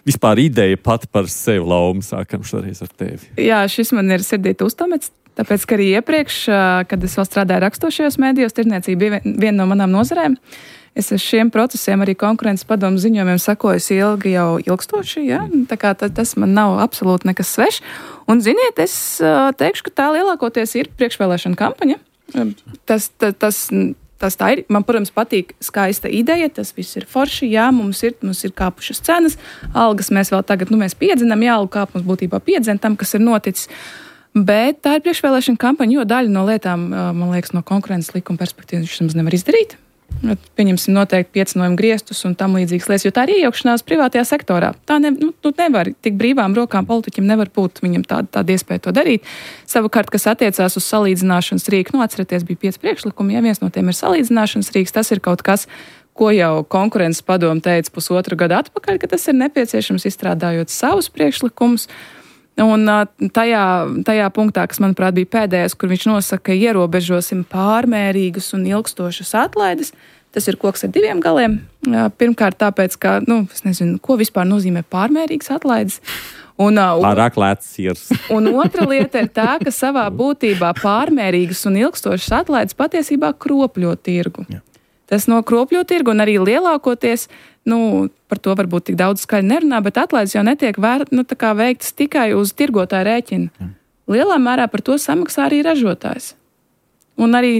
Vispār ideja pat par sevi, Lauma, sākam šoreiz ar tevi. Jā, šis man ir sirdīt uztamets, tāpēc, ka arī iepriekš, kad es vēl strādāju rakstošajos mēdījos, tirdzniecība bija viena no manām nozarēm. Es ar šiem procesiem arī konkurences padomu ziņojumiem sakojusi ilgi jau ilgstoši, ja? Tā kā tas man nav absolūti nekas svešs. Un, ziniet, es teikšu, ka tā lielākoties ir priekšvēlēšana kampaņa. Tas, tas, tas, tas tā ir. Man, protams, patīk skaista ideja, tas viss ir forši, jā, mums ir, mums ir kāpušas cenas, algas mēs vēl tagad, nu, mēs piedzinām, jā, algu kāpums būtībā piedzina tam, kas ir noticis. Bet tā ir priekšvēlēšana kampaņa, jo daļa no lietām, man liekas, no konkurences likuma perspektīvas viņš nemaz nevar izdarīt. Pieņemsim noteikti piecinojumu griestus un tam līdzīgas lietas, jo tā ir iejaukšanās privātajā sektorā. Tā ne, nu, tu nevar, tik brīvām rokām politiķim nevar būt viņam tāda, tāda iespēja to darīt. Savukārt, kas attiecās uz salīdzināšanas rīku, nu, atcerieties, bija pieci priekšlikumi, ja viens no tiem ir salīdzināšanas rīks, tas ir kaut kas, ko jau konkurences padomu teica pusotru gadu atpakaļ, ka tas ir nepieciešams izstrādājot savus priekšlikumus. Un tajā, tajā punktā, kas, manuprāt, bija pēdējais, kur viņš nosaka, ka ierobežosim pārmērīgas un ilgstošas atlaides, tas ir koks ar diviem galiem. Pirmkārt, tāpēc, ka, nu, es nezinu, ko vispār nozīmē pārmērīgas atlaides. Un, Pārāk lēts sirs. Un otra lieta ir tā, ka savā būtībā pārmērīgas un ilgstošas atlaides patiesībā kropļo tirgu. Jā. Tas nokropļo tirgu un arī lielākoties, nu, par to varbūt tik daudz skaļi nerunā, bet atlaides jau netiek vēr, nu, tā kā veiktas tikai uz tirgotāju rēķinu. Ja. Lielā mērā par to samaksā arī ražotājs. Un arī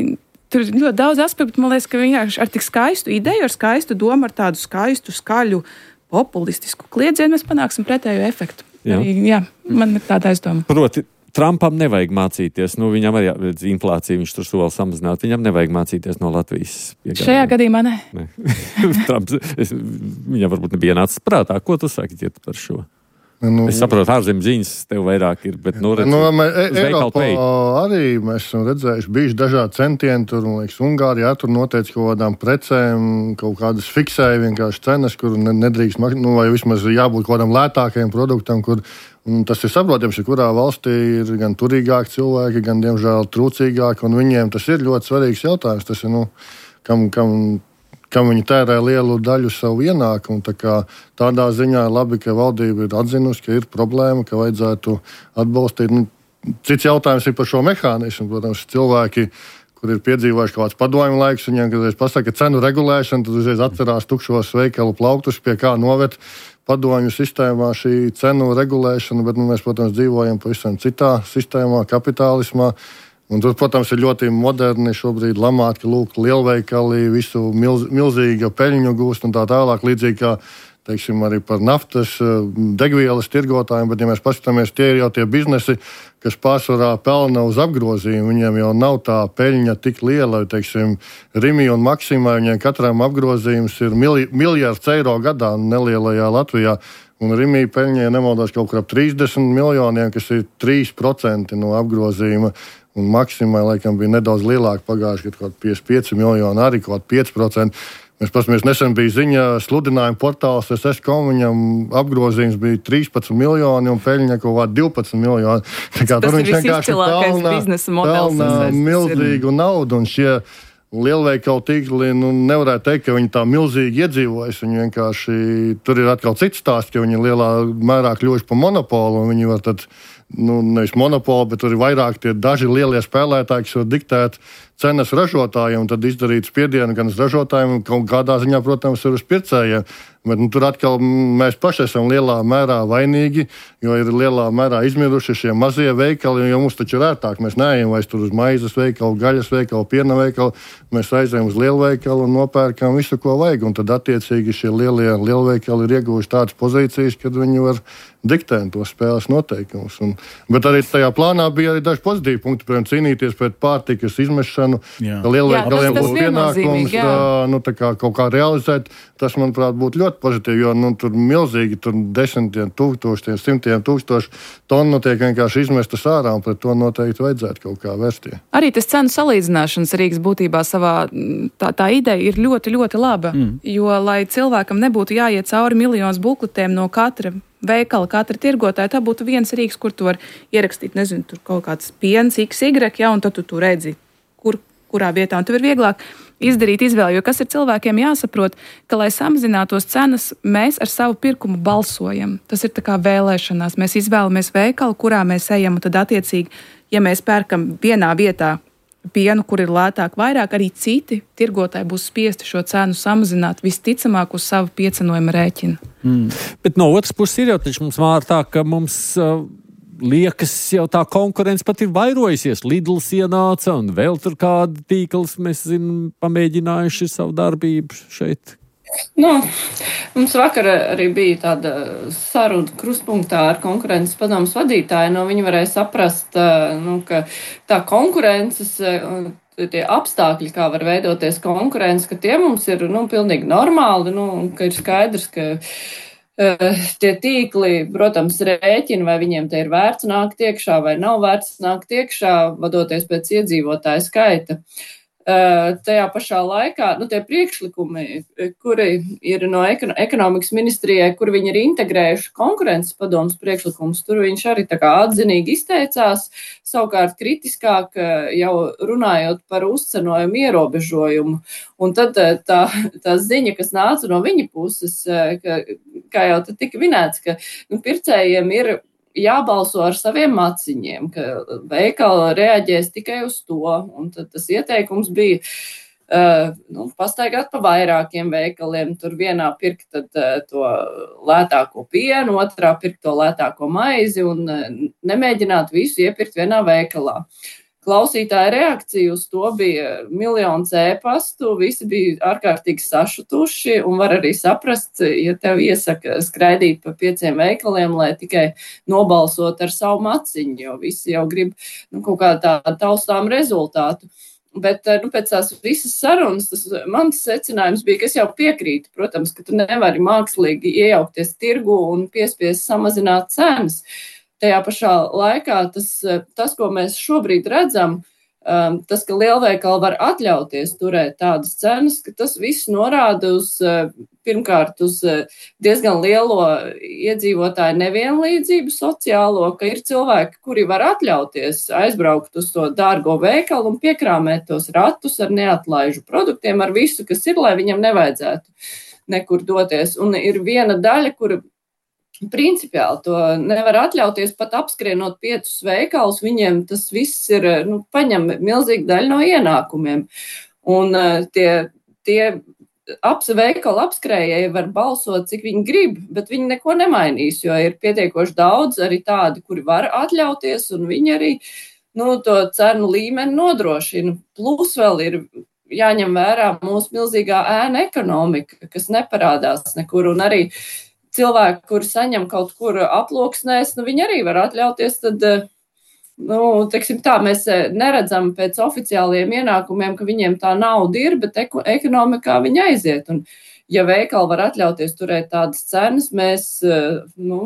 tur ir ļoti daudz aspektu, man liekas, ka vienkārši ar tik skaistu ideju, ar skaistu domu, ar tādu skaistu, skaļu, populistisku kliedzienu mēs panāksim pretējo efektu. Jā, arī, jā man ir tāda aizdoma. Proti, Trumpam nevajag mācīties, nu viņam arī redz inflāciju, viņš tur sola samazināt, viņam nevajag mācīties no Latvijas. Piegādājumiem. Šajā gadījumā ne. ne. Trumps, es, viņam varbūt nebija nācis prātā, ko tu saki Ģiet, par šo? Nu, es saprotu, ārzem ziņas tev vairāk ir, bet nu redz, nu, e, Eiropā arī mēs esam redzējuši, bijuši dažādi centieni, tur, man liekas, Ungārijā tur noteica kaut kādām precēm, kaut kādas fiksēja vienkārši cenas, kur nedrīkst, nu, vai vismaz jābūt kaut kādam lētākajam produktam, kur, un tas ir saprotams, ka kurā valstī ir gan turīgāki cilvēki, gan, diemžēl, trūcīgāki, un viņiem tas ir ļoti svarīgs jautājums, tas ir, nu, kam, kam kam viņi tērē lielu daļu savu ienākumu. Tā kā tādā ziņā ir labi, ka valdība ir atzinusi, ka ir problēma, ka vajadzētu atbalstīt. Nu, cits jautājums ir par šo mehānismu. Protams, cilvēki, kur ir piedzīvojuši kaut kāds padomju laiks, viņiem, kad es pasaku, ka cenu regulēšana, tad uzreiz atcerās tukšos veikalu plauktus, pie kā noved padomju sistēmā šī cenu regulēšana, bet nu, mēs, protams, dzīvojam pavisam citā sistēmā, kapitālismā. Un tur, protams, ir ļoti moderni šobrīd lamāt, ka lūk, lielveikali visu milz, milzīga peļņu gūst un tā tālāk, līdzīgi kā, teiksim, arī par naftas degvielas tirgotājiem, bet, ja mēs paskatāmies, tie ir jau tie biznesi, kas pārsvarā pelna uz apgrozījumu, viņiem jau nav tā peļņa tik liela, teiksim, Rimi un Maksimai, viņiem katram apgrozījums ir milj, miljards eiro gadā nelielajā Latvijā. Un Rimi peļņai nemaldos kaut kur ap trīsdesmit miljoniem, kas ir trīs procenti no apgrozījuma. Un Maksimai, laikam, bija nedaudz lielāka pagājuši, kad kaut piecdesmit pieci miljoni, arī kaut pieci procenti. Mēs paskatāmies, nesen bija ziņa sludinājuma portāls S S kom, viņam apgrozījums bija trīspadsmit miljoni un peļņa kaut kāda divpadsmit miljoni. Tā kā tur viņš vienkārši pelna, pelna milzīgu naudu, un šie lielveikalu tīkli, nu, nevarētu teikt, ka viņi tā milzīgi iedzīvojas. Viņi vienkārši, tur ir atkal cits stāsts, ka viņi lielā mērā kļuvuši par monopolu, un viņi var tad, nu, nevis monopolu, bet tur ir vairāk tie daži lielie spēlētāji, kas var diktēt cenas ražotājiem, tad izdarīt spiedienu gan uz ražotājiem, un kādā ziņā, protams, ir uz pircējiem. Bet, nu, tur atkal mēs paši esam lielā mērā vainīgi, jo ir lielā mērā izmiruši šie mazie veikali, jo mums taču ir ērtāk. Mēs neejam vairs tur uz maizes veikalu, gaļas veikalu, piena veikalu. Mēs aizējam uz lielveikalu un nopērkam visu, ko vajag. Un tad attiecīgi šie lielie lielveikali ir ieguvuši tādas pozīcijas, kad viņi var diktēt tos spēles noteikumus. Un, bet arī tajā plānā bija arī daži pozitīvi punkti, piemēram, cīnīties pret pārtikas izmešanu, Jā. ka lielveikaliem Jā, tas- tas būtu pienākums viennozīmīgi, jā. tā, nu, tā kā kaut kā realizēt. Tas, manuprāt, būtu ļoti pozitīvi, jo nu, tur milzīgi tur desmitiem tūkstošiem, simtiem tūkstoši tonu tiek vienkārši izmestas ārā, un pret to noteikti vajadzētu kaut kā vērsties. Arī tas cenu salīdzināšanas rīks būtībā savā, tā, tā ideja ir ļoti, ļoti laba, mm. jo, lai cilvēkam nebūtu jāiet cauri miljonus bukletiem no katra veikala, katra tirgotāja, tā būtu viens rīks, kur tu var ierakstīt, nezinu, tur kaut kāds piens, X Y, ja, un tad tu tur redzi, kur, kurā vietā, un tev ir vieglāk izdarīt izvēli, jo kas ir cilvēkiem jāsaprot, ka, lai samazinātos cenas, mēs ar savu pirkumu balsojam. Tas ir tā kā vēlēšanās. Mēs izvēlamies veikalu, kurā mēs ejam, un tad attiecīgi, ja mēs pērkam vienā vietā pienu, kur ir lētāk vairāk, arī citi tirgotāji būs spiesti šo cenu samazināt visticamāk uz savu piecenojumu rēķinu. Mm. Bet no otras puses ir jau taču mums mār tā, ka mums uh, liekas jau tā konkurence pat ir vairojusies. Lidls ienāca un vēl tur kāda tīkls, mēs zinām, pamēģinājuši savu darbību šeit. Nu, mums vakar arī bija tāda saruna krustpunktā ar konkurences padomas vadītāju. No viņa varēja saprast, nu, ka tā konkurences, tie apstākļi, kā var veidoties konkurence, ka tie mums ir nu, pilnīgi normāli, nu, ka ir skaidrs, ka uh, tie tīkli, protams, rēķina, vai viņiem te ir vērts nākt iekšā vai nav vērts nākt iekšā, vadoties pēc iedzīvotāju skaita. Uh, tajā pašā laikā nu, tie priekšlikumi, kuri ir no ekonomikas ministrijai, kur viņi ir integrējuši konkurences padomas priekšlikumus, tur viņš arī tā kā atzinīgi izteicās, savukārt kritiskāk jau runājot par uzcenojumu ierobežojumu. Un tad tā, tā ziņa, kas nāca no viņa puses, ka, kā jau te tika vinēts, ka nu, pircējiem ir jābalso ar saviem maciņiem, ka veikala reaģēs tikai uz to. Un tad tas ieteikums bija uh, nu, pastaigāt pa vairākiem veikaliem. Tur vienā pirkt tad, uh, to lētāko pienu, otrā pirkt to lētāko maizi un uh, nemēģināt visu iepirkt vienā veikalā. Klausītāja reakcija uz to bija miljons e-pastu, visi bija ārkārtīgi sašutuši un var arī saprast, ja tev iesaka skraidīt pa pieciem veikaliem, lai tikai nobalsot ar savu maciņu, jo visi jau grib nu, kaut kā tādu taustām rezultātu. Bet nu, pēc tās visas sarunas, tas mans secinājums bija, ka es jau piekrītu, protams, ka tu nevari mākslīgi iejaukties tirgu un piespiest samazināt cenas. Tajā pašā laikā tas, tas, ko mēs šobrīd redzam, tas, ka lielveikali var atļauties turēt tādas cenas, ka tas viss norāda uz, pirmkārt, uz diezgan lielo iedzīvotāju nevienlīdzību sociālo, ka ir cilvēki, kuri var atļauties aizbraukt uz to dārgo veikalu un piekrāmēt tos ratus ar neatlaižu produktiem, ar visu, kas ir, lai viņam nevajadzētu nekur doties. Un ir viena daļa, kura principiāli to nevar atļauties pat apskrienot piecus veikalus, viņiem tas viss ir, nu, paņem milzīgi daļu no ienākumiem. Un uh, tie, tie aps, veikalu apskrējēji var balsot, cik viņi grib, bet viņi neko nemainīs, jo ir pietiekoši daudz arī tādi, kuri var atļauties, un viņi arī nu, to cenu līmeni nodrošina. Plus vēl ir jāņem vērā mūsu milzīgā ēna ekonomika, kas neparādās nekur, un arī cilvēki, kuri saņem kaut kur aploksnēs, nu viņi arī var atļauties, tad, nu, teiksim tā, mēs neredzam pēc oficiāliem ienākumiem, ka viņiem tā nauda ir, bet ekonomikā viņi aiziet. Un, ja veikali var atļauties turēt tādas cenas, mēs, nu,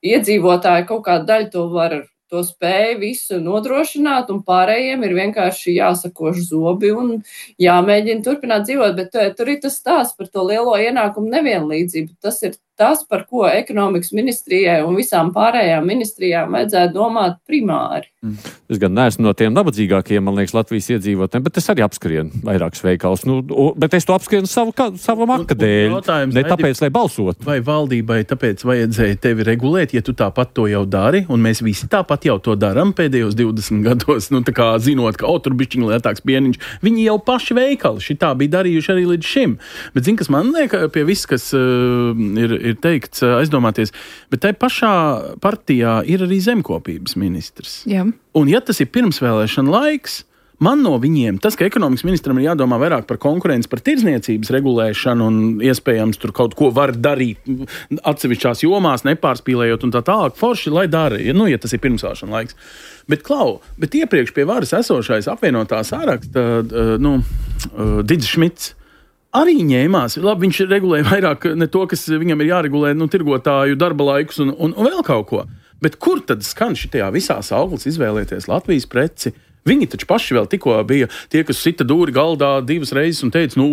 iedzīvotāji kaut kādu daļu to var, to spēju visu nodrošināt, un pārējiem ir vienkārši jāsakož zobi un jāmēģina turpināt dzīvot, bet tur ir tas stāsts par to lielo ienākumu nevienlīdzību. Tas ir tas, par ko ekonomikas ministrijai un visām pārējām ministrijām vajadzētu domāt primāri. Mm. Es gan neesmu no tiem nabadzīgākiem, man liekas, Latvijas iedzīvotājiem, bet es arī apskrienu vairākus veikals. Nu, bet es to apskrienu savu, savu maka dēļ, ne tāpēc, lai balsotu. Vai valdībai tāpēc vajadzēja tevi regulēt, ja tu tāpat to jau dari, un mēs visi tāpat jau to daram pēdējos divdesmit gados, nu tā kā zinot, ka o, tur bišķiņ lētāks pieniņš, viņi jau paši veikali šitā bija darījuši arī līdz šim. Bet zin, kas man liek pie viss, kas uh, ir, ir teikts, uh, aizdomāties, bet tai pašā partijā ir arī zemkopības ministrs. Jā. Un ja tas ir pirmsvēlēšana laiks, man no viņiem, tas, ka ekonomikas ministram ir jādomā vairāk par konkurenci, par tirdzniecības regulēšanu un iespējams tur kaut ko var darīt atsevišķās jomās, nepārspīlējot un tā tālāk, forši, lai dara, nu, ja tas ir pirmsvēlēšana laiks. Bet, Klau, bet iepriekš pie varas esošais apvienotā sāraksta, nu, Digis Šmits, arī ņēmās. Labi, viņš regulēja vairāk ne to, kas viņam ir jāregulē, nu, tirgotāju darba laikus un, un, un vēl kaut ko. Bet kur tad skan šitajā visā sauklis izvēlēties Latvijas preci? Viņi taču paši vēl tikko bija tie, kas sita dūri galdā divas reizes un teica, nu,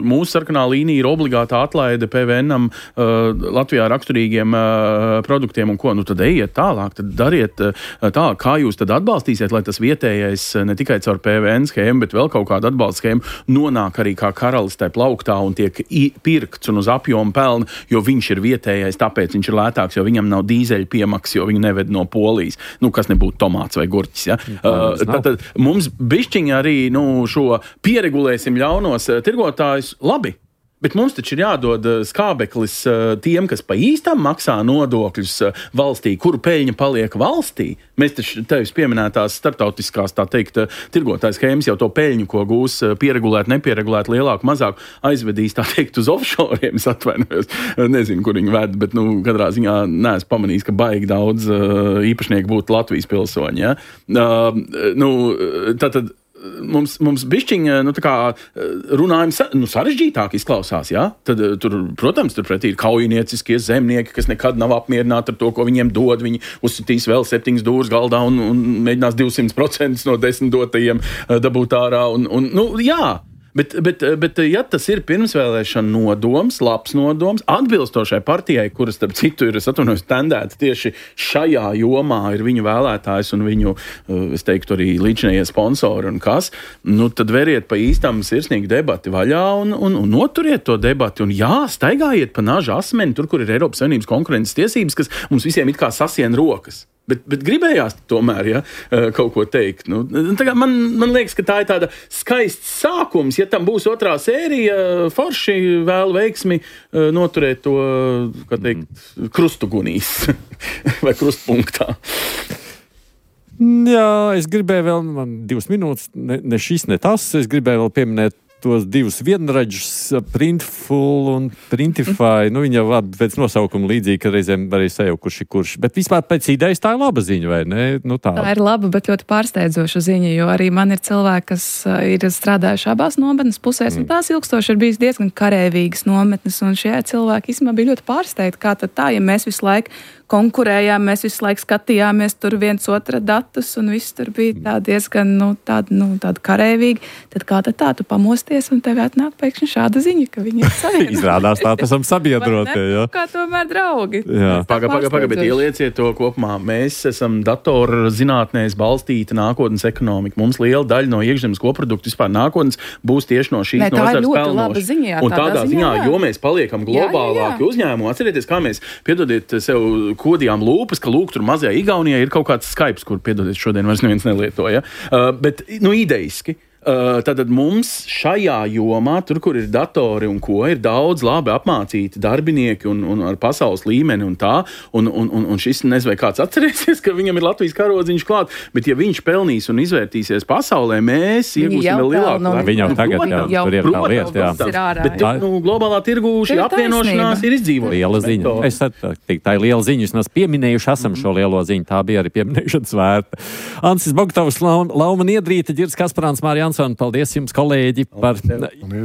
mūsu sarkanā līnija ir obligātā atlaide P V N-am uh, Latvijā raksturīgiem uh, produktiem un ko. Nu, tad ejiet tālāk, tad dariet uh, tālāk, kā jūs tad atbalstīsiet, lai tas vietējais ne tikai caur P V N schēmu, bet vēl kaut kādu atbalstu schēmu nonāk arī kā karalis tai plauktā un tiek pirkts un uz apjomu pelna, jo viņš ir vietējais, tāpēc viņš ir lētāks, jo viņam nav dīzeļu piemaks, jo viņu neved no Polijas. Nu, kas nebūtu tomāts vai gurķis, ja? Uh, tātad mums bišķiņi arī nu, šo pieregulēsim ļaunos tirgotājus labi. Bet mums taču ir jādod skābeklis tiem, kas pa īstam maksā nodokļus valstī, kuru peļņa paliek valstī. Mēs taču tevis pieminētās starptautiskās, tā teikt, tirgotājs schēmas jau to peļņu, ko gūs pieregulēt, nepieregulēt, lielāku, mazāku, aizvedīs, tā teikt, uz offshoriem, es atvainojos. Nezinu, kur viņi ved, bet, nu, katrā ziņā neesmu pamanījis, ka baigi daudz īpašnieku būtu Latvijas pilsoņi, ja? Uh, nu, tātad Mums, mums bišķiņa, nu, tā kā runājumi sa, nu, sarežģītāk izklausās, jā? Tad, tur, protams, tur pretī ir kaujnieciskie zemnieki, kas nekad nav apmierināti ar to, ko viņiem dod. Viņi uzsitīs vēl septiņas dūras galdā un, un mēģinās divsimt procenti no desmit dotajiem dabūt ārā. Un, un, nu, jā. Bet, bet, bet, ja tas ir pirmsvēlēšana nodoms, labs nodoms, atbilstošai partijai, kuras, starp citu, ir, es atvainojos, tendēta tieši šajā jomā, ir viņu vēlētājs un viņu, es teiktu, arī līdzinējie sponsori un kas, nu, tad veriet pa īstam sirsnīgu debati vaļā un, un, un noturiet to debati. Un jā, staigājiet pa naža asmeni, tur, kur ir Eiropas Savienības konkurences tiesības, kas mums visiem it kā sasien rokas. Bet, bet gribējās tomēr, ja, kaut ko teikt. Nu, man, man liekas, ka tā ir tāda skaists sākums. Ja tam būs otrā sērija, forši vēl veiksmi noturēt to, kā teikt, krustugunīs vai krustpunktā. Jā, es gribēju vēl, man divas minūtes, ne, ne šis, ne tas, es gribēju vēl pieminēt tos divus vienraģus, Printful un Printify, nu viņi jau pēc nosaukuma līdzīgi, ka reizēm arī sajau, kurš ir kurš. Bet vispār pēc idejas tā ir laba ziņa, vai ne? Nu, tā. tā ir laba, bet ļoti pārsteidzoša ziņa, jo arī man ir cilvēki, kas ir strādājuši abās nometnes pusēs, mm. un tās ilgstoši ir bijis diezgan karēvīgas nometnes, un šie cilvēki īstenībā bija ļoti pārsteigti, kā tad tā, ja mēs visu laiku konkurējām, mēs visu laiku skatījāmies tur viens otra datus, un viss tur bija tā diezgan, nu, tāda, nu, tāda karēvīgi, tad kā tad tā, tu pamosties, un tev atnāk pēkšņi šāda ziņa, ka viņi ir savienoti. Izrādās tā, esam sabiedrotie, jā. Kā tomēr draugi. Paga, paga, paga, bet ielieciet to kopumā. Mēs esam datorzinātnēs balstīta nākotnes ekonomika. Mums liela daļa no iekšzemes koproduktu vispār nākotnes būs tieši no šīs nozares pelnoša. Un tādā ziņā, ziņā jo mēs paliekam globālāki uzņēmumi. Atcerieties, kā mēs, piedodiet sev, kodījām lūpas, ka lūk, tur mazajā Igaunijā ir kaut kāds Skypes, kur, piedodiet, šodien vairs neviens nelietoja. Uh, bet, nu, ideiski. Uh, tātad mums šajā jomā, tur, kur ir datori un ko, ir daudz labi apmācīti darbinieki un, un ar pasaules līmeni un tā, un, un, un, un šis nezinu, vai kāds atcerēsies, ka viņam ir Latvijas karodziņš klāt, bet ja viņš pelnīs un izvērtīsies pasaulē, mēs iegūsim vēl lielāku. No, viņa jau tagad, jā, jau, tur ir tā lieta, jā. Ir ārā, bet, jā. Nu, globālā tirgu šī apvienošanās ir izdzīvota. Liela ziņa. Es teiktu, tā ir liela ziņa, jūs mēs pieminējuši esam šo lielo ziņu, tā bija arī pieminēšanas vērta. Ansis Bogtavs, Lauma Niedrīte, Ģirs Kasparāns, Mārija Ansona, paldies jums, kolēģi, par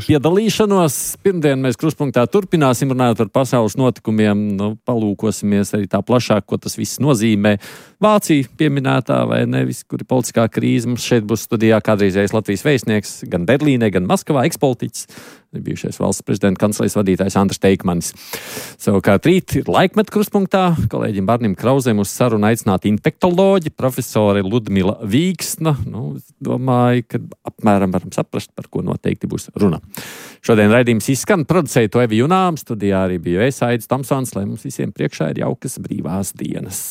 piedalīšanos. Pirmdien mēs Krustpunktā turpināsim runāt par pasaules notikumiem, nu, palūkosimies arī tā plašāk, ko tas viss nozīmē. Vācija pieminētā vai nevis, kur ir politiskā krīze. Mums šeit būs studijā kādreizējais Latvijas vēstnieks gan Berlīnē, gan Maskavā, ekspolitiķis bijušais valsts prezidenta kancelejas vadītājs Andris Teikmanis. Savukārt rīt ir laikmet krustpunktā. Kolēģim Barnim Krauzēm uz sarunu aicināti infektoloģi, profesori Ludmila Vīksna. Nu, domāju, ka apmēram varam saprast, par ko noteikti būs runa. Šodien raidījums izskan, producēja to Evi Junām, studijā arī bija es, Aidis Tomsons, lai mums visiem priekšā ir jaukas brīvās dienas.